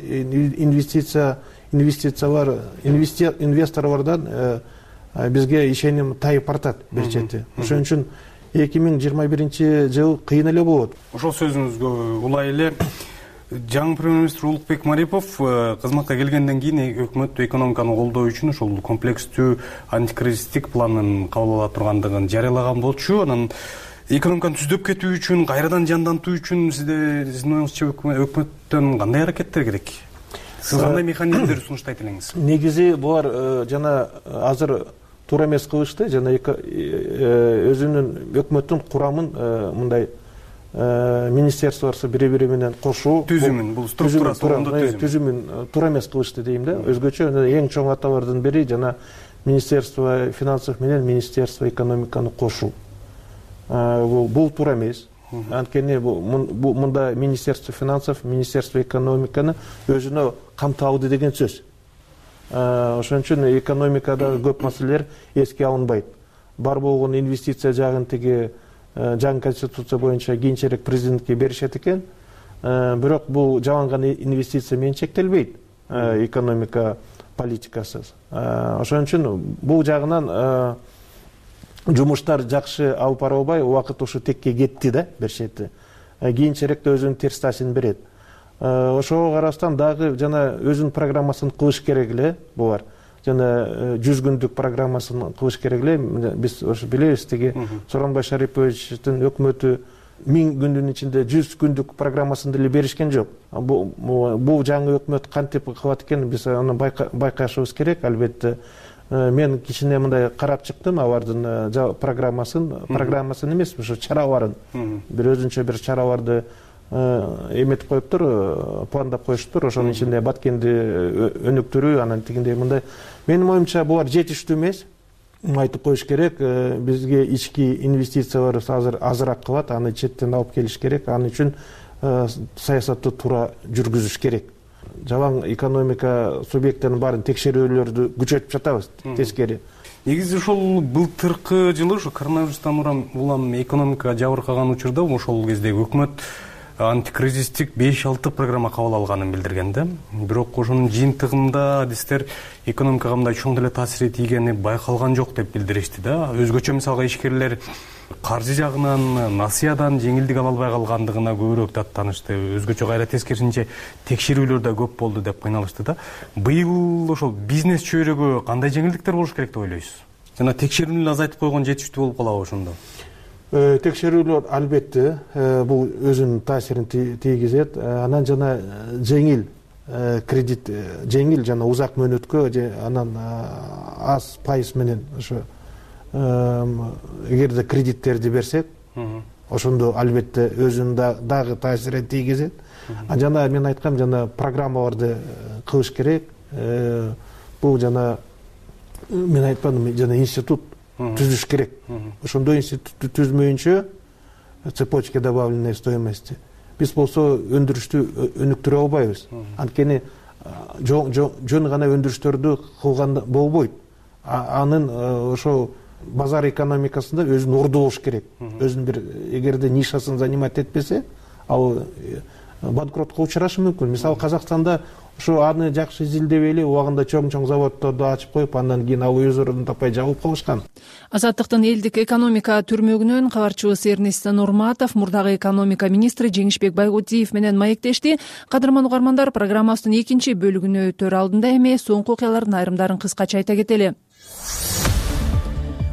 инвесторлордон бизге ишеним тайып бартат бир чети. Ошон үчүн 2021-жыл кыйын эле болот. Ошол сөзүңүзгө улай эле жаңы премьер-министр Улукбек Марипов кызматка келгенден кийин өкмөт экономиканы колдоо үчүн ошол комплекстүү антикризистик планын кабыл ала тургандыгын жарыялаган болчу. Анан экономиканы түздөп кетүү үчүн, кайрадан жандантуу үчүн сиздин оюңузча өкмөттөн кандай аракеттер керек? Сиз кандай механизмдерди сунуштайт элеңиз? Негизи булар жана азыр туура эмес кылышты, жана өзүнүн өкмөттүн курамын мындай министерстволор бири-бири менен кошуу түзүмүн, бул структурасы түзүмүн туура эмес кылышты дейм да. Өзгөчө эң чоң аталардын бири жана Министерство финансов менен Министерство экономиканы кошуу. Бул туура эмес. Анткени мында Министерство финансов, Министерство экономиканы өзүнө камтып алды деген сөз. Ошон үчүн экономикада көп маселелер эске алынбайт. Бар болгон инвестиция жагын тиги жаңы конституция боюнча кийинчерээк президентке беришет экен. Бирок бул жаланган инвестиция менен чектелбейт экономика политикасы. Ошон үчүн бул жагынан жумуштар жакшы алып бара албай, убакыт ушу текке кетти да бир чети. Кийинчерээк өзүнүн терс таасирин берет. Ошого караштан дагы жана өзүнүн программасын кылыш керек эле булар. Жана 100 күндүк программасын кылыш керек эле. Биз ошо билебиз, тиги Сооронбай Шариповичтин өкмөтү 1000 күндүн ичинде 100 күндүк программасын деле беришкен жок. Бул жаңы өкмөт кантип кылат экен, биз аны байкашыбыз керек, албетте. Мен кичине мындай карап чыктым алардын программасын эмес, ушу чараларын. Бир өзүнчө бир чараларды эметип коюптур, пландап коюштур. Ошонун ичинде Баткенди өнүктүрүү, анан тигиндей мындай. Менин оюмча булар жетиштүү эмес. Айтып коюш керек, бизге ички инвестициялар азыр азыраак кылат, аны четтен алып келиш керек. Аны үчүн саясатты туура жүргүзүш керек. Жалаң экономика субъекттеринин баарын текшерүүлөрдү күчөтүп жатабыз, тескери. Негизи ошол былтыркы жылы ошо коронавирустан улам экономика жабыркаган учурда ошол кезде өкмөт антикризистик 5-6 программа кабыл алганын билдирген да. Бирок ошонун жыйынтыгында адистер экономикага мындай чоң деле таасири тийгени байкалган жок деп билдиришти да. Өзгөчө мисалга ишкерлер каржы жагынан, насыядан жеңилдик ала албай калгандыгына көбүрөөк даттанышты. Өзгөчө кайра тескерисинче текшерүүлөр да көп болду деп кыйналышты да. Быйыл ошол бизнес чөйрөгө кандай жеңилдиктер болуш керек деп ойлойсуз? Жана текшерүүнү азайтып койгон жетиштүү болуп калабы ошондо? Текшерүүлөр албетте бул өзүнүн таасирин тийгизет. Анан жана жеңил кредит, жеңил жана узак мөөнөткө, анан аз пайыз менен ошо эгерде кредиттерди берсек, ошондо албетте өзүнүн дагы таасирин тийгизет. Жана мен айткам, жана программаларды кылыш керек. Бул жана мен айтпадым, жана институт түзүш керек. Ошондой институтту түзмөйүнчө цепочка добавленной стоимости биз болсо өндүрүштү өнүктүрө албайбыз. Анткени жөн гана өндүрүштөрдү кылганда болбойт. Анын ошо базар экономикасында өзүн ордолош керек. Өзүнүн бир эгерде нишасын занимать этпесе, ал банкротко учурашы мүмкүн. Мисалы Казакстанда ошо аны жакшы изилдебей эле убагында чоң заводдорду ачып коюп, андан кийин ал өз ордун таппай жабылып калышкан. Азаттыктын элдик экономика түрмөгүнөн кабарчыбыз Эрнест Нурматов мурдагы экономика министри Жеңишбек Байгутиев менен маектешти. Кадырман угармандар, программабыздын экинчи бөлүгүнө өтөр алдында эми соңку окуялардын айрымдарын кыскача айта кетели.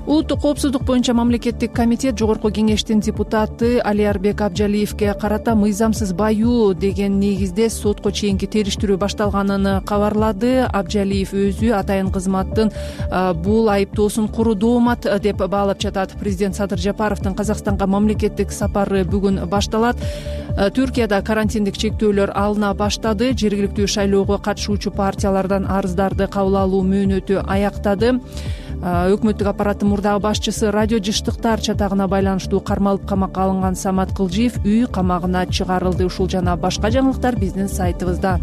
Улуттук коопсуздук боюнча мамлекеттик комитет жогорку кеңештин депутаты Алиярбек Абжалиевге карата мыйзамсыз баюу деген негизде сотко чейинки териштирүү башталганын кабарлады. Абжалиев өзү атайын кызматтын бул айыптоосун куру доомат деп баалап жатат. Президент Садыр Жапаровдун Казакстанга мамлекеттик сапары бүгүн башталат. Түркияда карантиндик чектөөлөр алына баштады. Жергиликтүү шайлоого катышуучу партиялардан арыздарды кабыл алуу мөөнөтү аяктады. Өкмөттүк аппараттын мурдагы башчысы радио жыштыктар чатагына байланыштуу кармалып камакка алынган Самат Кылжиев үй камагына чыгарылды. Ушул жана башка жаңылыктар биздин сайтыбызда.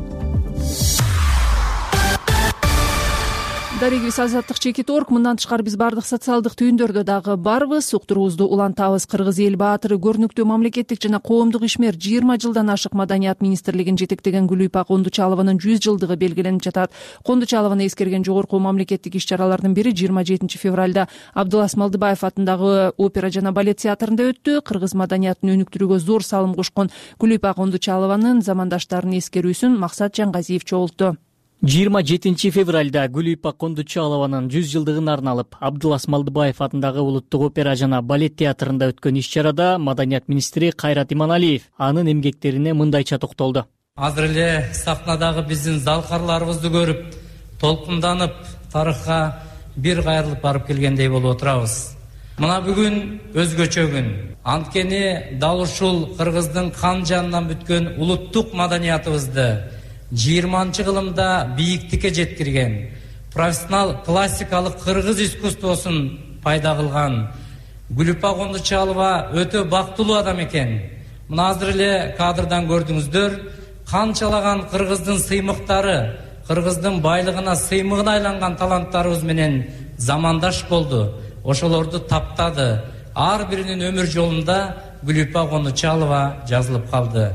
Дарегибиз азаттык.org. Мындан тышкары биз бардык социалдык түйүндөрдө дагы барбыз. Уктуруубузду улантабыз. Кыргыз эл баатыры, көрүнүктүү мамлекеттик жана коомдук ишмер 20 жылдан ашык Маданият министрлигин жетектеген Гүлүйпа Кондучалованын 100 жылдыгы белгиленип жатат. Кондучалованы эскерген жогорку мамлекеттик иш-чаралардын бири 27 февралда Абдулас Малдыбаев атындагы опера жана балет театрында өттү. Кыргыз маданиятын өнүктүрүүгө зор салым кошкон Гүлүйпа Кондучалованын замандаштарын эскерүүсүн Максат Жаңгазиев чогултту. 27 февралда Гүлүйпа Кондучалованын 100 жылдыгына арналып Абдулас Малдыбаев атындагы улуттук опера жана балет театрында өткөн иш-чарада Маданият министри Кайрат Иманалиев анын эмгектерине мындайча токтолду. Азыр эле сахнадагы биздин залкарларыбызды көрүп, толкунданып, тарыхка бир кайрылып барып келгендей болуп отурабыз. Мына бүгүн өзгөчө күн. Анткени дал ушул Кыргыздын кан жанынан бүткөн улуттук маданиятыбызды 20 кылымда бийиктикке жеткирген, профессионал классикалык кыргыз искусствосун пайда кылган Гүлүйпа Кондучалова өтө бактылуу адам экен. Мына азыр эле кадрдан көрдүңүздөр, канчалаган кыргыздын сыймыктары, кыргыздын байлыгына сыймыгына айланган таланттарыбыз менен замандаш болду. Ошолорду таптады. Ар биринин өмүр жолунда Гүлүйпа Кондучалова жазылып калды.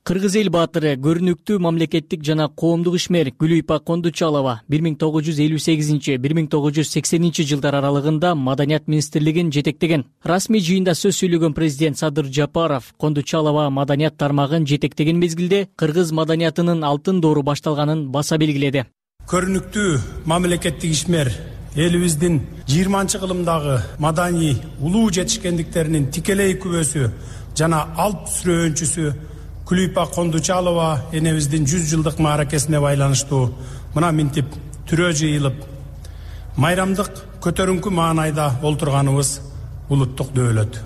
Кыргыз эл баатыры, көрүнүктүү мамлекеттик жана коомдук ишмер Гүлүйпа Кондучалова 1958-1980 жылдар аралыгында Маданият министрлигин жетектеген. Расмий жыйында сөз сүйлөгөн президент Садыр Жапаров Кондучалова маданият тармагын жетектеген мезгилде кыргыз маданиятынын алтын доору башталганын баса белгиледи. Көрүнүктүү мамлекеттик ишмер элибиздин 20 кылымдагы маданий улуу жетишкендиктеринин тикелей күбөсү жана алп сүрөөнчүсү Гүлүйпа Кондучалова энебиздин 100 жылдык мааракесине байланыштуу мына минтип түрөө жыйылып, майрамдык көтөрүңкү маанайда олтурганыбыз улуттук дөөлөт.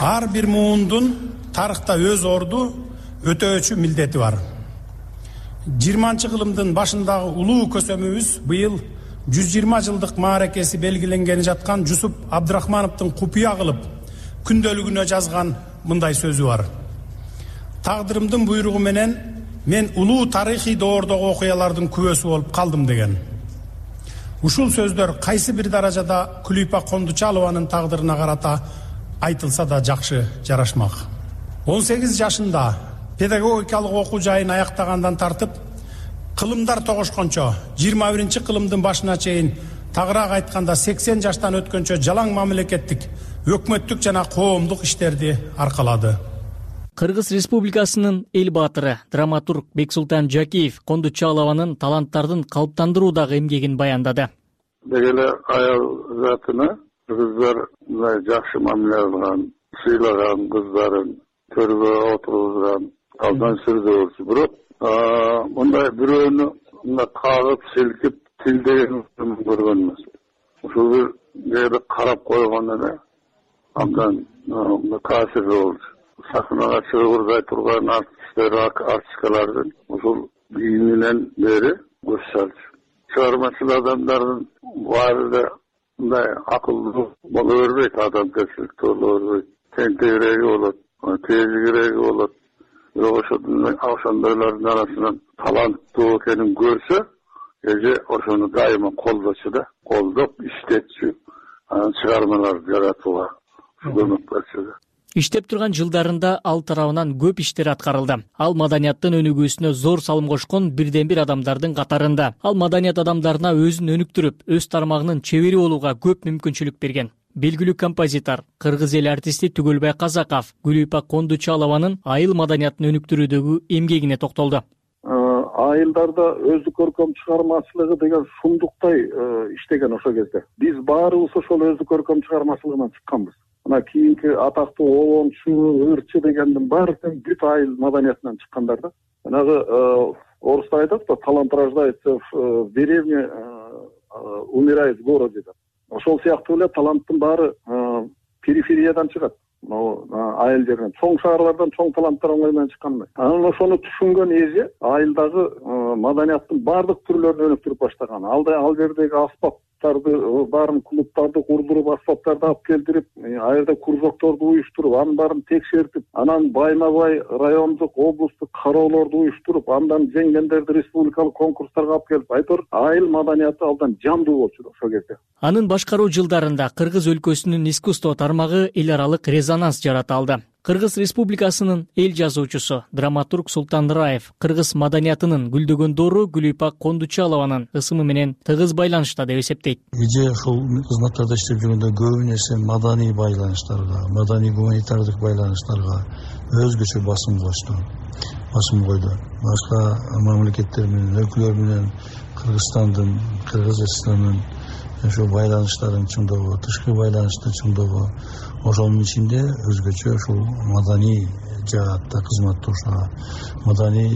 Ар бир муундун тарыхта өз орду, өтөөчү милдети бар. 20 кылымдын башындагы улуу көсөмүбүз быйыл 120 жылдык мааракеси белгиленгени жаткан Жусуп Абдрахмановдун купуя кылып күндөлүгүнө жазган мындай сөзү бар. Тагдырымдын буйругу менен мен улуу тарыхый доордогу окуялардын күбөсү болуп калдым деген. Ушул сөздөр кайсы бир даражада Гүлүйпа Кондучалованын тагдырына карата айтылса да жакшы жарашмак. 18 жашында педагогикалык окуу жайын аяктагандан тартып, кылымдар тогошкончо 21 кылымдын башына чейин, тагыраак айтканда 80 жаштан өткөнчө жалаң мамлекеттик, өкмөттүк жана коомдук иштерди аркалады. Кыргыз Республикасынын эл баатыры, драматург Бексултан Жакиев Кондучалованын таланттардын калыптандыруудагы эмгегин баяндады. Дегеле аял затына кыргыздар мындай жакшы мамиле кылган, сыйлаган кыздарын төргө отургузган, алдан сүрдү. Бирок мындай бирөөнү мындай кагып, силкип, тилдеген көргөн эмес. Ушул бир жерде карап койгон эле абдан таасирлүү болду. Сахнага чыгып турган артисткалардын ушул кийиминен бери көз салчу. Чыгармачыл адамдардын баары да мындай акылдуу боло бербейт, адамгерчиликтүү боло бербейт. Тентегиреги болот, тезигиреги болот. Бирок ошондойлордун арасынан таланттуу экенин көрсө, эже ошону дайыма колдочу да, колдоп иштетчү, анан чыгармаларды жаратууга көмөк берчү да. Иштеп турган жылдарында ал тарабынан көп иштер аткарылды. Ал маданияттын өнүгүүсүнө зор салым кошкон бирден бир адамдардын катарында. Ал маданият адамдарына өзүн өнүктүрүп, өз тармагынын чебери болууга көп мүмкүнчүлүк берген. Белгилүү композитор, кыргыз эл артисти Түгөлбай Казаков Гүлүйпа Кондучалованын айыл маданиятын өнүктүрүүдөгү эмгегине токтолду. айылдарда өздүк көркөм чыгармачылыгы деген шундуктай иштеген ошол кезде. Биз баарыбыз ошол өздүк көркөм чыгармачылыгынан чыкканбыз. Мына кийинки атактуу Обончу, Ырчы дегендин баары бүт айыл маданиятынан чыккандар да. Жанагы орусда айтат да, талант рождается в деревне, умирает в городе деп. Ошол сыяктуу эле таланттын баары перифериядан чыгат. Айыл жеринен, чоң шаарлардан чоң таланттар оңой менен чыккан. Анан ошону түшүнгөн эже айылдагы маданияттын баардык түрлөрүн өнүктүрүп баштаган. Ал жердеги аспаптарды, баарын клубтарды курдуруп, аспаптарды алып келтирип, ал жерде кружокторду уюштуруп, анын баарын текшертип, анан байма-бай райондук, облустук кароолорду уюштуруп, андан жеңгендерди республикалык конкурстарга алып келип, айтор айыл маданияты алдан жандуу болчу ошол кезде. Анын башкаруу жылдарында Кыргыз өлкөсүнүн искусство тармагы эл аралык резонанс жарата алды. Кыргыз Республикасынын эл жазуучусу, драматург Султан Раев кыргыз маданиятынын гүлдөгөн доору Гүлүйпак Кондучалованын ысымы менен тыгыз байланышта деп эсептейт. Эже ушул кызматтарда иштеп жүргөндө көбү нерсе маданий байланыштарга, маданий гуманитардык байланыштарга өзгөчө басым койду. Башка мамлекеттер менен, өлкөлөр менен Кыргызстандын, Кыргызстандын ошол байланыштарын чыңдоого, тышкы байланышты чыңдоого, ошонун ичинде өзгөчө ушул маданий жаатта кызматташууга, маданий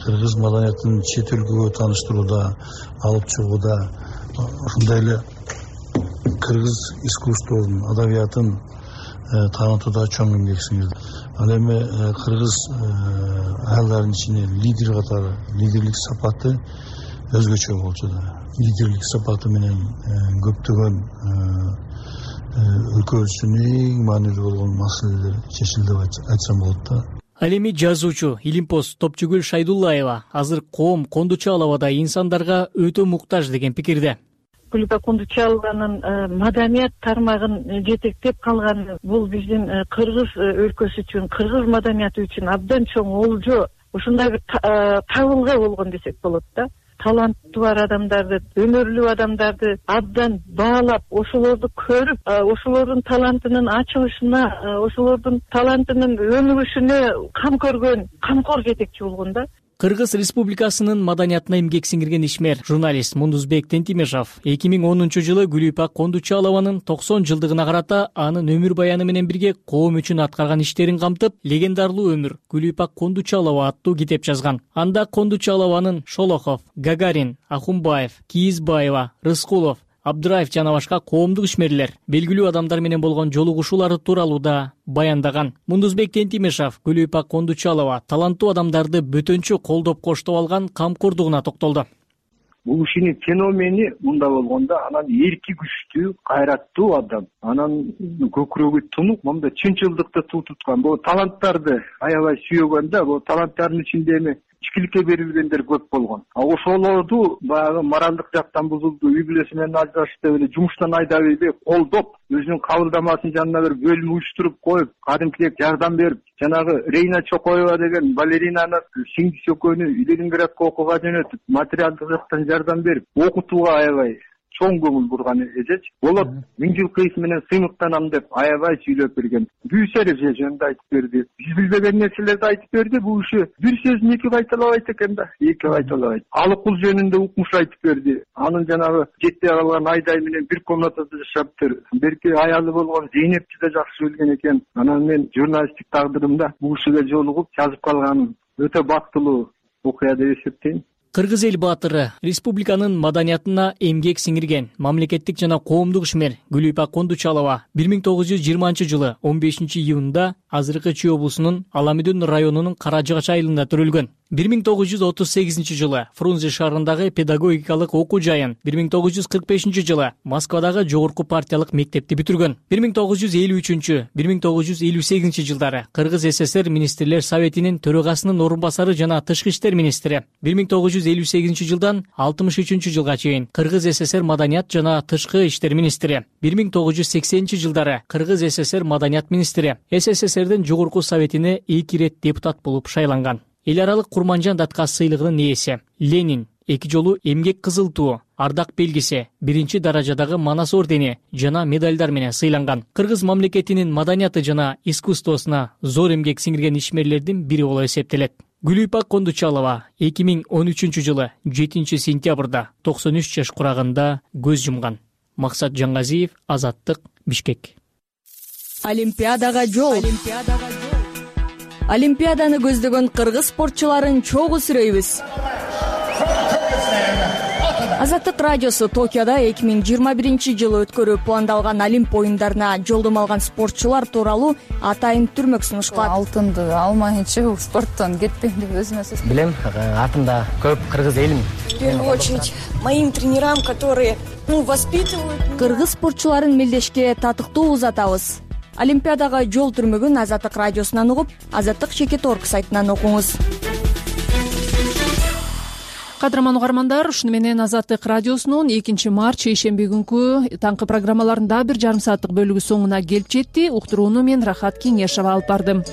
кыргыз маданиятын чет өлкөгө тааныштырууда, алып чыгууда, ошондой эле кыргыз искусствосун, адабиятын таанытууда чоң эмгек сиңирди. Ал эми кыргыз айылдарынын ичинде лидер катары, лидерлик сапаты өзгөчө болчу да. Лидерлик сапаты менен көптөгөн өлкөбүздүн эң маанилүү болгон маселелер чечилди деп айтсам болот да. Ал эми жазуучу Илимпоз Топчугүл Шайдуллаева азыр коом Кондучаловадай инсандарга өтө муктаж деген пикирде. Гүлүйпак Кондучалованын маданият тармагын жетектеп калганы бул биздин кыргыз өлкөсү үчүн, кыргыз маданияты үчүн абдан чоң олжо, ушундай бир табылга болгон десек болот да. Таланты бар адамдарды, өнөрлүү адамдарды абдан баалап, ошолорду көрүп, ошолордун талантынын ачылышына, ошолордун талантынын өнүгүшүнө кам көргөн, камкор жетекчи болгон да. Кыргыз Республикасынын маданиятына эмгек сиңирген ишмер, журналист Мундузбек Тентимешов 2010-жылы Гүлүйпак Кондучалованын 90 жылдыгына карата анын өмүр баяны менен бирге коом үчүн аткарган иштерин камтып, легендарлуу өмүр Гүлүйпак Кондучалова аттуу китеп жазган. Анда Кондучалованын Шолохов, Гагарин, Ахунбаев, Кийизбаева, Рыскулов, Абдыраев жана башка коомдук ишмерлер, белгилүү адамдар менен болгон жолугушуулары тууралуу да баяндаган. Мундузбек Тентимешов Гүлүйпак Кондучалова таланттуу адамдарды бөтөнчө колдоп коштоп алган камкордугуна токтолду. Бул ишинин феномени мында болгондо, анан эрки күчтүү, кайраттуу адам, анан көкүрөгү тунук, монда чынчылдыкты туу туткан. Бул таланттарды аябай сүйгөн да, бул таланттардын ичинде эми ичкиликке берилгендер көп болгон. Ошолорду баягы моралдык жактан бузулду, үй бүлөсү менен ажырашты, эле жумуштан айдап эле колдоп, өзүнүн кабылдамасын жанына бир бөлүм уюштуруп коюп, кадимкидей жардам берип, жанагы Рейна Чокоева деген балеринаны сиңдиси экөөнү Ленинградка окууга жөнөтүп, материалдык жактан жардам берип, окутууга аябай чоң көңүл бурган эжеч. Болот 1000 жыл кыйс менен сыймыктанам деп аябай сүйлөп берген. Бүүсөр эже жөнүндө айтып берди. Биз билбеген нерселерди айтып берди. Бул иши бир сөзүн эки кайталабайт экен да. Эки кайталабайт. Алыкул жөнүндө укмуш айтып берди. Анын жанагы жетпей калган Айдай менен бир комнатада жашаптыр. Берки аялы болгон Зейнепти да жакшы билген экен. Анан мен журналисттик тагдырымда бул кишиге жолугуп жазып калганым өтө бактылуу окуя деп эсептейм. Кыргыз эл баатыры, республиканын маданиятына эмгек сиңирген мамлекеттик жана коомдук ишмер Гүлүйпак Кондучалова 1920-жылы 15-июнда азыркы Чүй облусунун Аламүдүн районунун Каражыгач айылында төрөлгөн. 1938-жылы Фрунзе шаарындагы педагогикалык окуу жайын, 1945-жылы Москвадагы жогорку партиялык мектепти бүтүргөн. 1953-1958 жылдары Кыргыз СССР министрлер советинин төрагасынын орун басары жана тышкы иштер министри. 1958-жылдан 63-жылга чейин Кыргыз СССР маданият жана тышкы иштер министри. 1980-жылдары Кыргыз СССР маданият министри. СССРдин жогорку советине 2 ирет депутат болуп шайланган. Эл аралык Курманжан Датка сыйлыгынын ээси. Ленин 2 жолу эмгек кызыл туу, ардак белгиси, 1 даражадагы Манас ордени жана медальдар менен сыйланган. Кыргыз мамлекетинин маданияты жана искусствосуна зор эмгек сиңирген ишмерлердин бири болуп эсептелет. Гүлүйпак Кондучалова 2013 жылы 7 сентябрда 93 жаш курагында көз жумган. Максат Жаңгазиев, Азаттык, Бишкек. Олимпиадага жол. Олимпиаданы көздөгөн кыргыз спортчуларын чогуу сүрөйбүз. Азаттык радиосу Токиодо 2021 жылы өткөрүү пландалган Олимп оюндарына жолдомо алган спортчулар тууралуу атайын түрмөк сунуш кылат. Алтынды алмайынча бул спорттон кетпейм деп өзүмө сөз билем. Артымда көп кыргыз элим. В первую очередь моим тренерам, которые воспитывают. Кыргыз спортчуларын мелдешке татыктуу узатабыз. Олимпиадага жол түрмөгүн Азаттык радиосунан угуп, Азаттык.org сайтынан окуңуз. Кадырман угармандар, ушуну менен Азаттык радиосунун 2 март шейшемби күнкү таңкы программаларынын да 1,5 сааттык бөлүгү соңуна келип жетти. Уктурууну мен Рахат Кеңешова алып бардым.